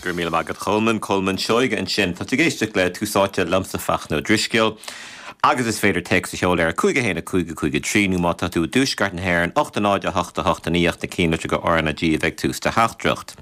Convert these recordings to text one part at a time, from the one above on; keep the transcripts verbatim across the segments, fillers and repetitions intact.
Go raibh míle maith agat a Cholmáin, Colmán Seoige ansin. Tá tú ag éisteacht le Tús Áite liomsa Fachtna Ó Drisceoil. Agus is féidir téacs a sheoladh ar cúig a haon a cúig a cúig a trí nó má tá tú i dtuaisceart na hÉireann ocht a náid a hocht a hocht a naoi ach na ceannlitreacha R na G a bheith ag tús do theachtaireacht.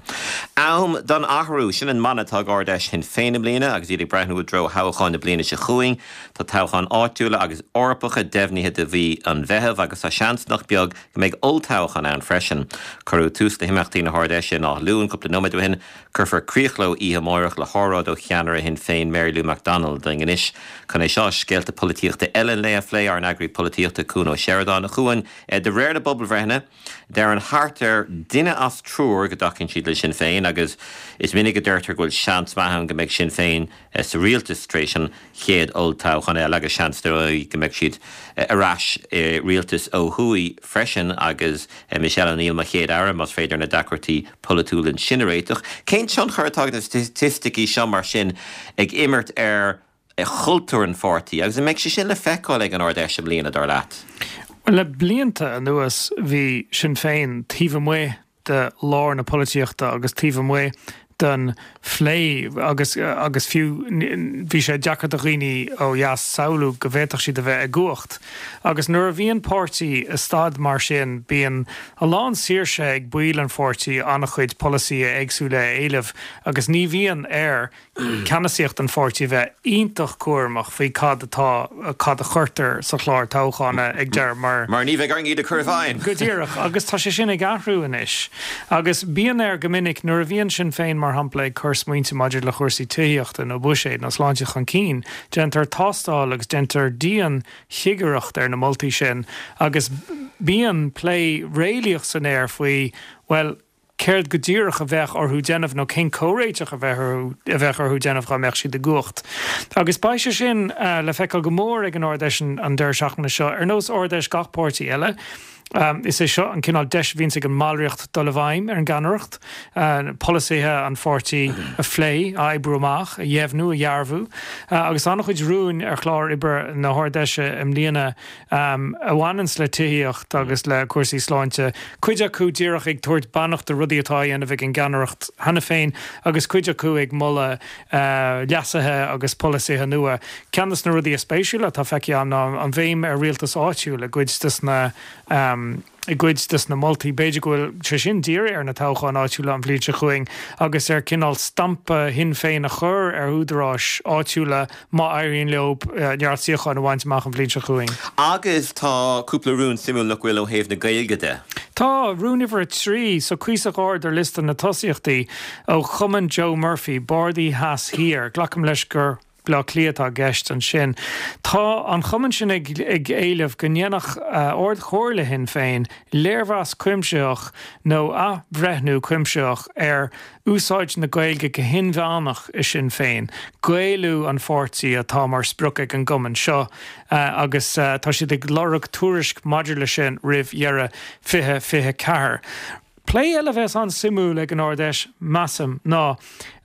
Am don athrú sin an mana atá ag Ard-Fheis Shinn Féin i mbliana agus iad ag breathnú i dtreo thoghcháin na bliana seo chugainn tá toghcháin áitiúla agus Eorpacha deimhnithe do mhí an Mheithimh agus tá seans nach beag go mbeidh olltoghchán ann freisin. Cuireadh tús le himeachtaí na hArd-Fheise in Áth Luain cúpla nóiméad ó shin cuirfear críoch leo oíche amárach le hóráid ó cheannaire Shinn Féin Mary Lou McDonald anois chun é seo scéalta polaitíochta eile le a phlé ár n-eagraí polaitíochta Cuan Ó Seireadáin a Chuain de réir na bpobalbhreitheanna Deir thart ar duine as triúr go dtacaíonn siad le Sinn Féin agus is minic a deirtear go bhfuil seans maith ann go mbeidh Sinn Féin sa rialtas tar éis an chéad olltoghchán eile agus seans go mbeidh siad ar ais i rialtas ó thuaidh freisin agus Michelle O'Neill mar chéad aire más féidir na deacrachtaí polaitiúla sin a réiteach. Cén tionchar atá na staitisticí seo mar sin ag imirt ar chultúr an pháirtí agus an mbeidh sé sin le feiceáil ag an Ard-Fheis i mbliana dar leat. Le blianta anuas bhí Sinn Féin taobh amuigh de lár na polaitíochta agus taobh amuigh den phlé agus agus fiú bhí sé deacair do dhaoine ó dheas samhlú go bhféadfadh siad a bheith i gcumhacht. Agus nuair a bhíonn páirtí i staid mar sin bíonn a lán saoirse ag baill an pháirtí an-chuid polasaithe éagsúla a éileamh agus ní bhíonn ar ceannasaíocht an pháirtí bheith iontach cúramach faoi cad atá cad a chuirtear sa chlár toghchána ag deireadh mar Mar ní bheidh orainn iad a chur i bhfeidhm. Go díreach agus tá sé sin ag athrú anois. Agus bíonn air go minic nuair a bhíonn Sinn Féin mar shampla ag cur smaointe maidir le chúrsaí tithíochta nó buiséid nó sláinte chun cinn, déantar tástáil agus déantar dianchigireacht ar na moltaí sin agus bíonn plé réalaíoch san aer faoi well céard go díreach a bheadh orthu déanamh nó cén comhréiteach a bheith a bheadh orthu déanamh dá mbeadh siad i gcumhacht. Agus beidh sé sin uh, le feiceáil go mór ag an Ard-Fheis an deireadh seachtaine seo ar nós Ard-Fheis gach páirtí eile. Um, is é seo an cineál deis a bhíonn ag an mballraíocht dul i bhfeidhm ar an gceannaireacht, uh, polasaithe an pháirtí a phlé a oibriú amach, a dheimhniú a dhearbhú, uh, agus an-chuid rún ar chlár oibre na hArd-Fheise i mbliana um, a bhaineanns le tithíocht agus le cúrsaí sláinte. Cuid acu díreach ag tabhairt beannacht do rudaí atá á dhéanamh ag an gceannaireacht cheana féin agus cuid acu ag moladh uh, leasuithe agus polasaithe nua. Ceann de na rudaí is spéisiúla atá feicthe ná an bhéim ar rialtas áitiúil i gcuid des na um, i gcuid des na moltaí b'fhéidir go bhfuil sé sin dírithe ar na toghcháin áitiúla an bhliain seo chugainn agus ar cineál stampa Shinn Féin a chur ar údaráis áitiúla má éiríonn leo neart suíochán a bhaint amach an bhliain seo chugainn. Agus tá cúpla rún suimiúil nach bhfuil ó thaobh na Gaeilge de. Tá rún uimhir a trí so cuíosach ard ar liosta na tosaíochtaí ó Chumann Joe Murphy, Bardaí Theas Thiar, glacaim leis gur Bleá Cliath atá i gceist ansin. Tá an chumann sin ag, ag éileamh go ndéanfadh uh, Ard-Chomhairle Shinn Féin léirmheas cuimsitheach nó athbhreithniú cuimsitheach ar úsáid na Gaeilge go hinmheánach i Sinn Féin. Gaelú an pháirtí atá mar sprioc ag an gcumann seo uh, agus uh, tá siad ag lorg tuairisc maidir le sin roimh dheireadh fiche fiche ceathair. Plé eile a bheas an-suimiúil ag an Ard-Fheis measaim ná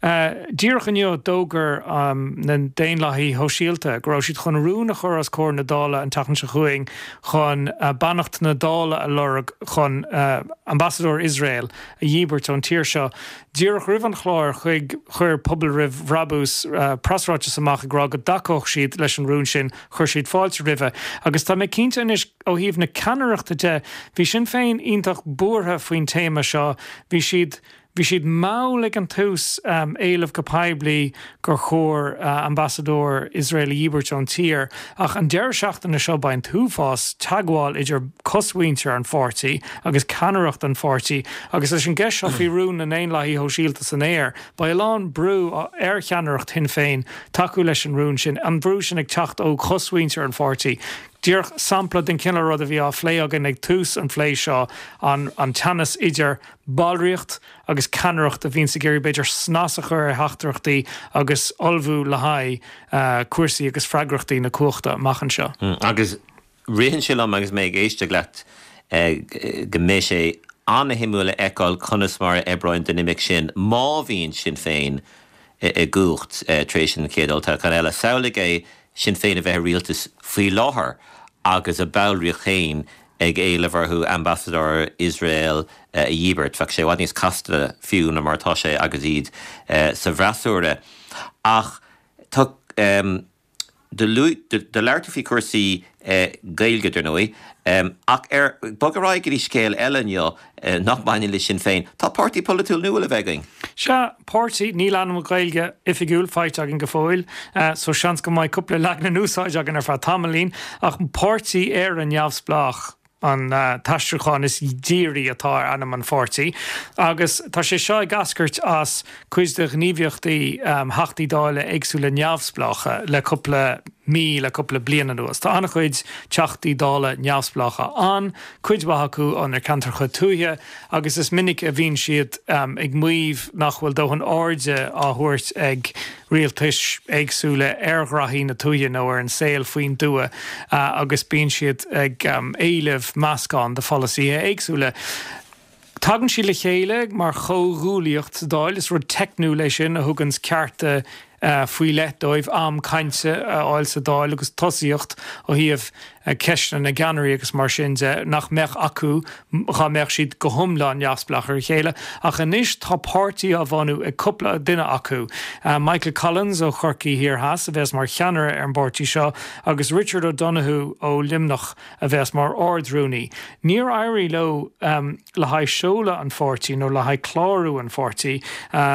uh, díreach inniu d'fhógair um, na Daonlathaithe Sóisialta go raibh siad chun rún a chur os comhair na Dála an tseachtain seo chugainn chun uh, beannacht na Dála a lorg chun uh, ambasadóir Iosrael a dhíbirt ón tír seo. Díreach roimh an chlár chuig chuir Pobal Roimh Bhrabús uh, preasráiteas amach ag rá go dtacódh siad leis an rún sin chuir siad fáilte roimhe. Agus tá mé cinnte anois ó thaobh na ceannaireachta de, bhí Sinn Féin iontach buartha faoin téama seo, bhí siad Bhí siad mall ag an tús um, éileamh go poiblí gur chóir uh, ambasadóir Iosrael a dhíbirt ón tír, ach an deireadh seachtaine seo beidh an t-uafás teagmháil idir cosmhuintir an pháirtí agus ceannaireacht an pháirtí, agus leis an gceist seo faoi rún na nDaonlathaithe Sóisialta san aer, Beidh a lán brú ar cheannaireacht Shinn Féin tacú leis an rún sin, an brú sin ag teacht ó chosmhuintir an pháirtí. Díreach sampla den cineál rud a bhí á phlé againn ag tús an phlé seo an, an teannas idir ballraíocht agus ceannaireacht a bhíonn ag iarraidh b'fhéidir snas a chur ar theachtaireachtaí agus ullmhú le haghaidh uh, cúrsaí agus freagrachtaí na cumhachta amach anseo. Mm, agus ritheann sé liom agus mé ag éisteacht leat eh, go mbeidh sé an-shuimiúil a fheiceáil conas mar a oibreoidh an dinimic sin má bhíonn Sinn Féin i gcumhacht eh, tar éis an chéad olltoghchán eile. Samhlaigh é Sinn Féin a bheith i rialtas faoi láthair agus a ballraíocht féin ag éileamh orthu ambasadóir Iosrael a dhíbirt. Bheadh sé i bhfad níos casta fiú ná mar atá sé agus iad sa bhfreasúra. Ach tá do labhair tú faoi chúrsaí Gaeilge, dar ndóigh, ach ar bog ar aghaidh go dtí scéal eile inniu nach mbaineann le Sinn Féin, tá páirtí polaitiúil nua le bheith againn. Sea, páirtí, níl ainm Gaeilge oifigiúil faighte againn go fóill, so seans go mbeidh cúpla leagan in úsáid againn ar feadh tamaillín, ach Páirtí Éire Neamhspleách an t-aistriúchán is dírí atá ar ainm an pháirtí, agus tá sé seo ag eascairt as cuid de ghníomhaíochtaí Theachtaí Dála éagsúla neamhspleácha le cúpla mí, le cúpla bliain anuas. Tá an-chuid Teachtaí Dála neamhspleácha ann, cuid mhaith acu ó na ceantracha tuaithe, agus is minic a bhíonn siad ag maíomh nach bhfuil dóthain airde á thabhairt ag rialtais éagsúla ar ghraithí na tuaithe nó ar an saol faoin dtuath agus bíonn siad ag éileamh meascán de pholasaithe éagsúla. Tagann siad le chéile mar chomhghuaillíocht sa Dáil, is rud teicniúil é sin a thuganns cearta faoi leith dóibh, am cainte a fháil sa Dáil agus tosaíocht ó thaobh ceisteanna na gceannairí agus mar sin de, nach mbeadh acu dhá mbeadh siad go hiomlán neamhspleách ar a chéile. Ach anois tá páirtí á bhunú ag cúpla duine acu, Michael Collins ó Chorcaigh Thiar Theas a bheas mar cheannaire ar an bpáirtí seo agus Richard O'Donoghue ó Luimneach a bheas mar Ard-Rúnaí. Níor éirigh leo le haghaidh seoladh an pháirtí nó le haghaidh clárú an pháirtí,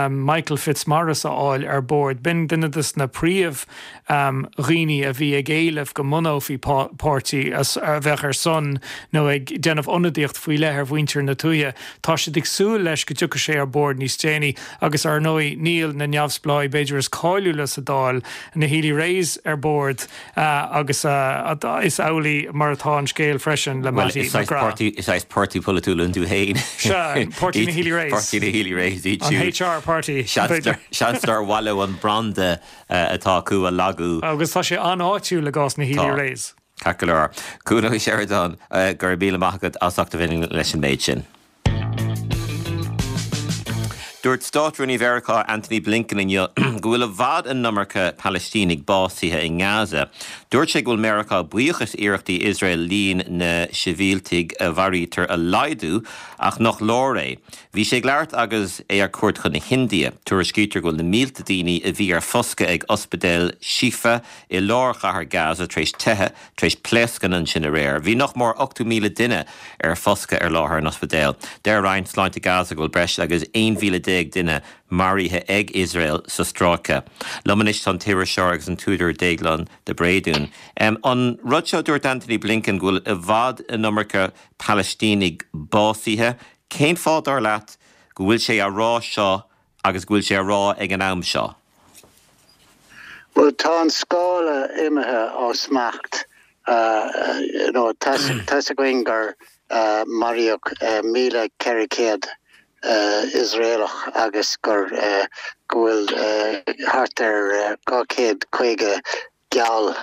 Michael Fitzmaurice a fháil ar bord. B'in duine de na príomh dhaoine a bhí ag éileamh go mbunófaí páirtí a bheadh ar son nó ag déanamh ionadaíocht faoi leith ar mhuintir na tuaithe. Tá siad ag súil leis go dtiocfaidh sé ar bord níos déanaí agus ar ndóigh níl na neamhspleáigh b'fhéidir is cáiliúla sa Dáil, na Healy-Raes ar bord agus is amhlaidh mar atá an scéal freisin le Mattie McGrath. Is saghas páirtí polaitiúil iontu féin. Sea, Páirtí na Healy-Raes. Páirtí na Healy-Raes iad siúd. An HR Party. Seans nár mhaith leo an branda atá acu a lagú. Agus tá sé an-áitiúil i gcás na Healy-Raes. Ceart go leor. Cuan Ó Seireadáin, go raibh míle maith agat as ucht a bheith leis an méid sin. Dúirt Státrúnaí Mheiriceá Antony Blinken inniu go bhfuil i bhfad an iomarca Palaistínigh básaithe i nGaza. Dúirt sé go bhfuil Meiriceá buíoch as iarrachtaí Iosrael líon na sibhialtaigh a mharaítear a laghdú ach nach leor é. Bhí sé ag labhairt agus é ar cuairt chun na hIndia. Tuairiscítear go bhfuil na mílte daoine a bhí ar foscadh ag ospidéal Shifa i lár chathair Gaza tar éis teitheadh tar éis pléascanna ansin aréir. Bhí nach mór ochtó míle duine ar foscadh ar láthair an ospidéil. Deir Roinn Sláinte Gaza go bhfuil breis agus aon mhíle déag duine maraithe ag Iosrael sa stráice. Liom anois tá an t-iriseoir agus an t-údar Déaglán de Bréadún. An rud seo a dúirt Antony Blinken go bhfuil i bhfad an iomarca Palaistínigh básaithe, cén fáth dar leat go bhfuil sé á rá seo agus go bhfuil sé á rá ag an am seo? Bhuel, tá an scála imithe ó smacht. You know, tá 'fhios againn gur maraíodh míle ceithre chéad Iosraelach agus gur go bhfuil thart ar dhá chéad caoga geall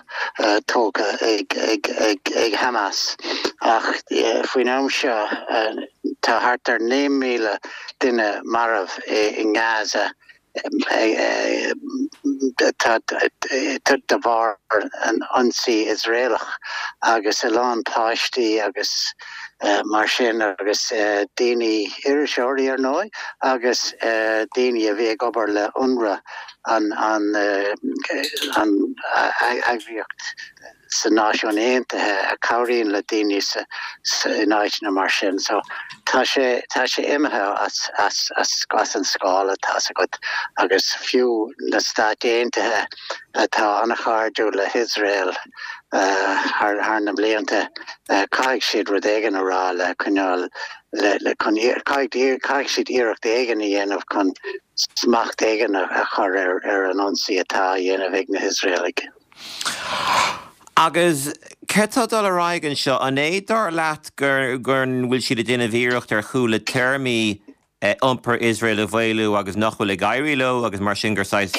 tógtha ag Hamas. Ach faoin am seo tá thart ar naoi míle duine marbh i nGaza de bharr an ionsaí Iosraelach agus a lán páistí agus mar sin agus daoine, iriseoirí ar ndóigh, agus daoine a bhí ag obair le UNRWA, an eagraíocht sna Náisiúin Aontaithe a chabhraíonn le daoine in áiteanna mar sin. So tá sé tá sé imithe as as as as an scála, tá's agat, agus fiú na Stáit Aontaithe atá an-chairdiúil le hIosrael thar thar na blianta, caithfidh siad rud éigin a rá le coinneáil le le chun caithfidh caithfidh siad iarracht éigin a dhéanamh chun smacht éigin a chur ar ar an ionsaí atá á dhéanamh ag na hIosraelaigh. Agus céard tá ag dul ar aghaidh anseo? An é dar leat gur go bhfuil siad ag déanamh iarracht ar chúla téarmaí iompar Iosrael a mhaolú agus nach bhfuil ag éirí leo agus mar sin gur saghas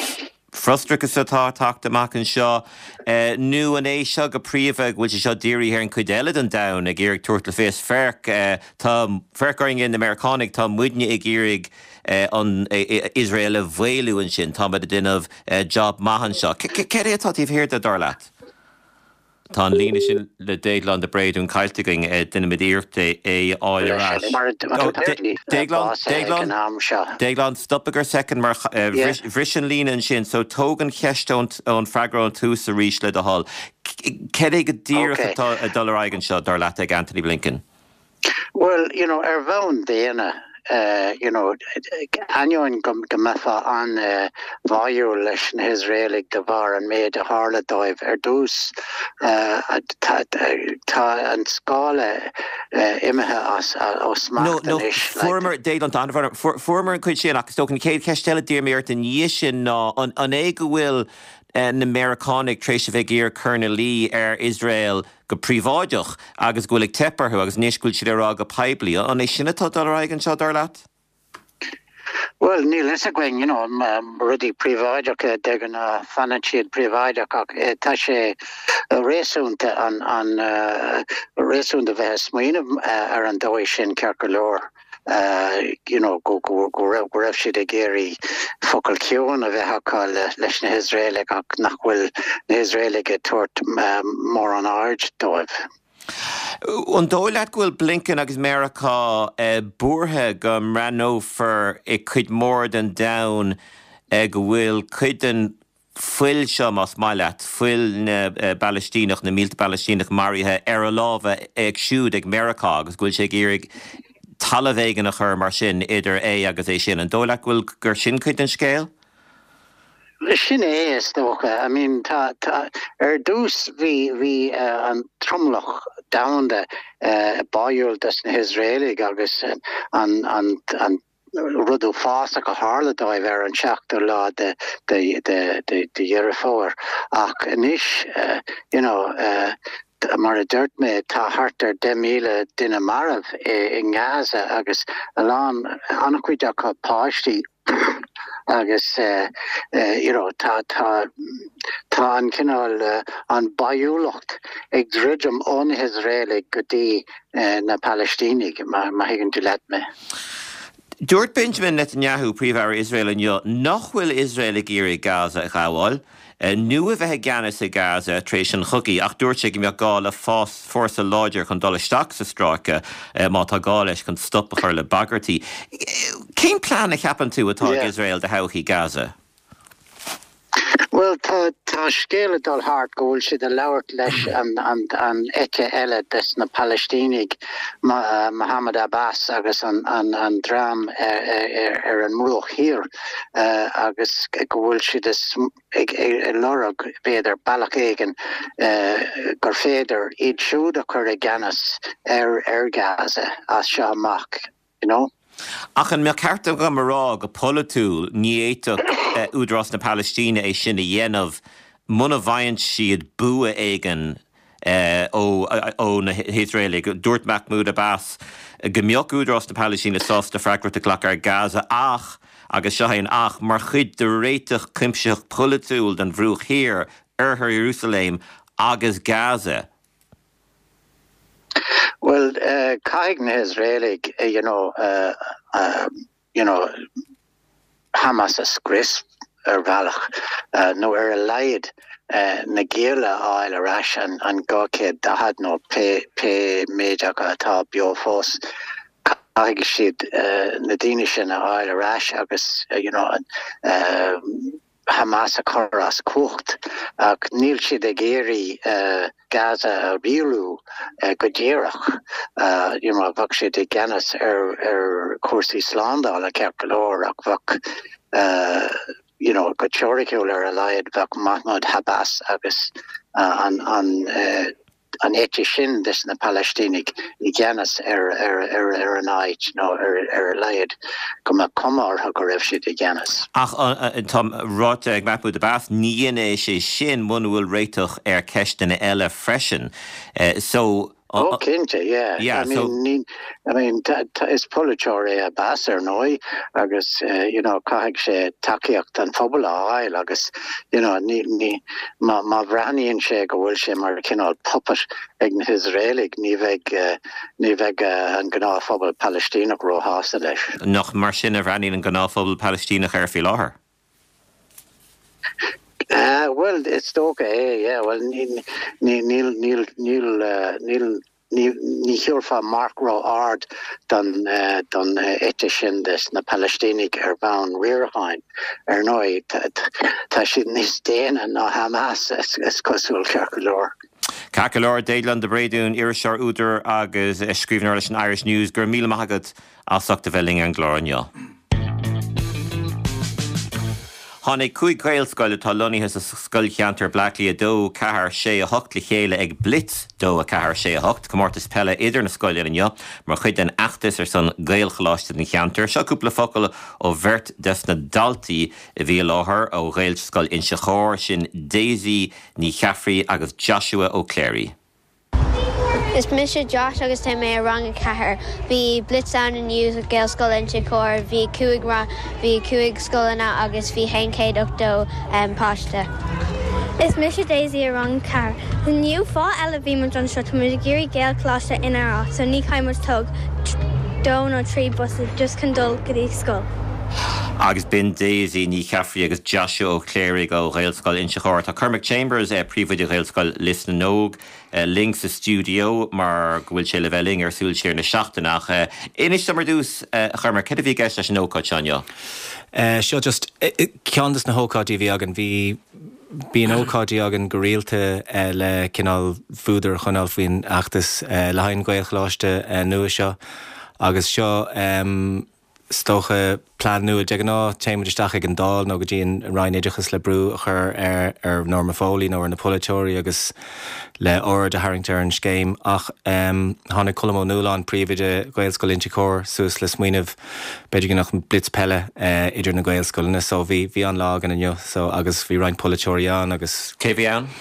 frustrachas atá ag teacht amach anseo? Nó an é seo go príomha go bhfuil sé seo dírithe ar an chuid eile den domhan ag iarraidh tabhairt le fios, féach, tá, féach orainne na Meiriceánaigh, tá muidne ag iarraidh an Iosrael a mhaolú ansin, táimid ag déanamh job maith anseo. Céard é atá taobh thiar de, dar leat? Tá an líne sin le Déaglán de Bréadún caillte againn déanfaimid iarracht é a fháil ar ais. Déaglán Déaglán stop gur second mar bhris an líne ansin, so tóg an cheist ón freagra ón tús arís le do thoil. Cad é go díreach atá ag dul ar aghaidh anseo dar leat ag Anthony Blinken? Well, you know, ar bhonn daonna uh, you know, ainneoin go go mbeifeá an-bháúil leis na hIosraelaigh de bharr an méid a tharla dóibh ar dtús uh, tá tá an scála uh, imithe as ó smacht anois. Fuaireamar Déaglán fuaireamar an chuid sin agus an chéad cheist eile d'iarr mé ort an dhiaidh sin ná an é go bhfuil na Meiriceánaigh tar éis a bheith ag iarraidh cur ina luí ar Iosrael go príobháideach agus go bhfuil ag teip orthu agus anois go bhfuil siad ag rá go poiblí. An é sin atá dul ar aghaidh anseo dar leat? Well, níl a fhios againn you know, um, rudaí príobháideacha de ghnáth fanann siad príobháideach ach eh, tá sé réasúnta an, an uh, réasúnta bheith ag smaoineamh uh, ar an dóigh sin ceart go leor. Uh, you know, go go go raibh go raibh siad ag iarraidh focal ciúin a bheith acu le, leis na hIosraelaigh ach nach bhfuil na hIosraelaigh ag tabhairt um, mórán aird dóibh. An dóigh leat go bhfuil Blinken agus Meiriceá eh, buartha go mbreathnófar i cuid mór den domhan eh, go bhfuil cuid den fuil seo más maith leat, fuil na eh, bPalaistíneach na mílte Palaistíneach maraithe ar a lámha ag siúd ag Meiriceá agus go bhfuil sé ag iarraidh talamh éigin a chur mar sin idir é agus é sin an dóigh leat go bhfuil gur sin cuid den scéal? Sin é is dócha I mean tá tá ar dtús bhí bhí uh, an tromlach domhanda uh, báúil des na hIosraelaigh agus uh, an an an rud uafásach a tharla dóibh ar an seachtú lá de de de de de Dheireadh Fómhair ach anois uh, you know uh, mar a dúirt mé tá thart ar deich míle duine marbh i, i nGaza agus a lán an-chuid acu páistí agus uh, uh, you know, tá tá tá an cineál uh, an báúlacht ag druidim ó na hIosraelaigh go dtí uh, na Palaistínigh má má thuigeann tú leat mé. Dúirt Benjamin Netanyahu príomh-aire Iosrael inniu nach bhfuil Iosrael ag iarraidh Gaza a ghabháil, nó a bheith i gceannas i Gaza tar éis an chogaidh ach dúirt sé go mbeadh gá le fás fórsa láidir chun dul isteach sa stráice má tá gá leis chun stop a chur le bagairtí. Cén plean a cheapann tú atá ag Iosrael do thodhchaí Gaza? Well tá tá scéal ag dul thart go bhfuil siad ag labhairt leis an an an eite eile des na Palaistínigh Ma, uh, Mohammed Abbas agus an an an dream ar, ar, ar an mbruach thiar uh, agus go bhfuil siad ag ag lorg b'fhéidir bealach éigin uh, gur féidir iad siúd a chur i gceannas ar ar Gaza as seo amach you know? Ach an mbeadh ceart agam a rá go polaitiúil ní fhéadfadh Údarás na Palaistíne é sin a dhéanamh muna bhfaigheann siad bua éigin ó ó na hIosraelaigh. Dúirt Mahmoud Abbas go mbeadh Údarás na Palaistíne sásta freagracht a ghlacadh ar Gaza ach agus seo an ach mar chuid de réiteach cuimsitheach polaitiúil den Bhruach Thiar Oirthear Iarúsailéim agus Gaza. Well, uh, caithfidh na hIosraelaigh, uh, you know, uh, uh, you know, Hamas a scrios ar bhealach uh, nó ar a laghad uh, na gialla a fháil ar ais an, an dhá chéad daichead nó pé, pé méid acu atá beo fós. Caithfidh siad uh, na daoine sin a fháil ar ais agus uh, you know, uh, Hamas a chur as cumhacht ach níl siad ag iarraidh uh, Gaza a rialú uh, go díreach uh, you know, bheadh siad i gceannas ar ar cúrsaí slándála ceart go leor ach bheadh uh, you know, go teoiriciúil ar a laghad bheadh Mahmoud Abbas agus uh, an an uh, an eite sin des na Palaistínigh i gceannas ar ar ar ar an áit nó ar ar a laghad go mbeadh cuma orthu go raibh siad i gceannas. Ach tá ráite ag Mahmoud Abbas ní dhéanfaidh sé sin muna bhfuil réiteach ar cheisteanna eile freisin. Uh, so Oh, cinnte, yeah. Yeah, I mean, so- ní, I mean, ta, ta, is polaiteoir é Abbas ar ndóigh agus uh, you know, caithfidh sé tacaíocht an phobail a fháil agus you know, ní, ní, má, má bhreathnaíonn sé go bhfuil sé mar cineál puppet ag na hIosraelaigh ní bheidh uh, ní bheidh uh, an gnáthphobal Palaistíneach róshásta leis. nach mar sin a bhreathnaíonn an gnáthphobal Palaistíneach air faoi láthair. Uh, well, Well, is dócha é, yeah, well níl níl níl níl níl ní ní thabharfá marc ró-ard don uh, don uh, eite sin des na Palaistínigh ar bhonn riaracháin ar ndóigh tá siad níos déine ná Hamas is, is cosúil ceart go leor. Ceart go leor Déaglán de Bréadún iriseoir údar agus scríbhneoir leis an Irish News gur míle maith agat as ucht a bheith linn ar an gclár inniu. Tháinig cúig Ghaelscoil atá lonnaithe sa scoilcheantar Bleá Cliath dó ceathair sé a hocht le chéile ag Blitz dó a ceathair sé a hocht, comórtas peile idir na scoileanna inniu mar chuid den fheachtas ar son Gaelcholáiste don cheantar. Seo cúpla focal ó bheirt des na daltaí a bhí i láthair ó Ghaelscoil Inse Chór sin Daisy Ní Cheaffraí agus Joshua Ó Cléirigh. Is mise Josh agus tá mé i rang a ceathair. Bhí Blitz ann inniu sa Gaelscoil Inse Chór, bhí cúig bhí cúig scoileanna agus bhí haon chéad ochtó um, páiste. Is mise Daisy i rang ceathair. Inniu fáth eile bhí muid anseo tá muid ag iarraidh Gaelcholáiste inár áit, so ní chaithfidh muid tóg dó nó trí bus just chun dul go dtí scoil. Agus b'in Daisy Ní Cheaffraí agus Joshua Ó Cléirigh ó Ghaelscoil Inse Chór. Tá Cormac Chambers eh, príomhoide Ghaelscoil Lios na nÓg eh, linn sa stiúideo mar go bhfuil sé le bheith linn ar Súil Siar na seachtaine ach eh, inis dom ar dtús Chormac cad a bhí i gceist leis an ócáid seo inniu. Seo just ceann des na hócáidí a bhí againn bhí bíonn ócáidí againn go rialta le cineál fuadar a choinneáil faoin fheachtas le haghaidh an Ghaelcholáiste nua seo agus seo um, is dócha plean nua de ghnáth téimid isteach ag an Dáil nó go dtí an Roinn Oideachais le brú a chur ar ar Norma Foley nó ar na polaiteoirí agus le aird a tharraingt ar an scéim ach um, tháinig Colm Ó Nualláin príomhoide Ghaelscoil Inse Chór suas le smaoineamh b'fhéidir go mbeadh blitz peile uh, idir na Gaelscoileanna so bhí bhí an lá againn inniu so agus bhí roinnt polaiteoirí ann agus Cé bhí ann?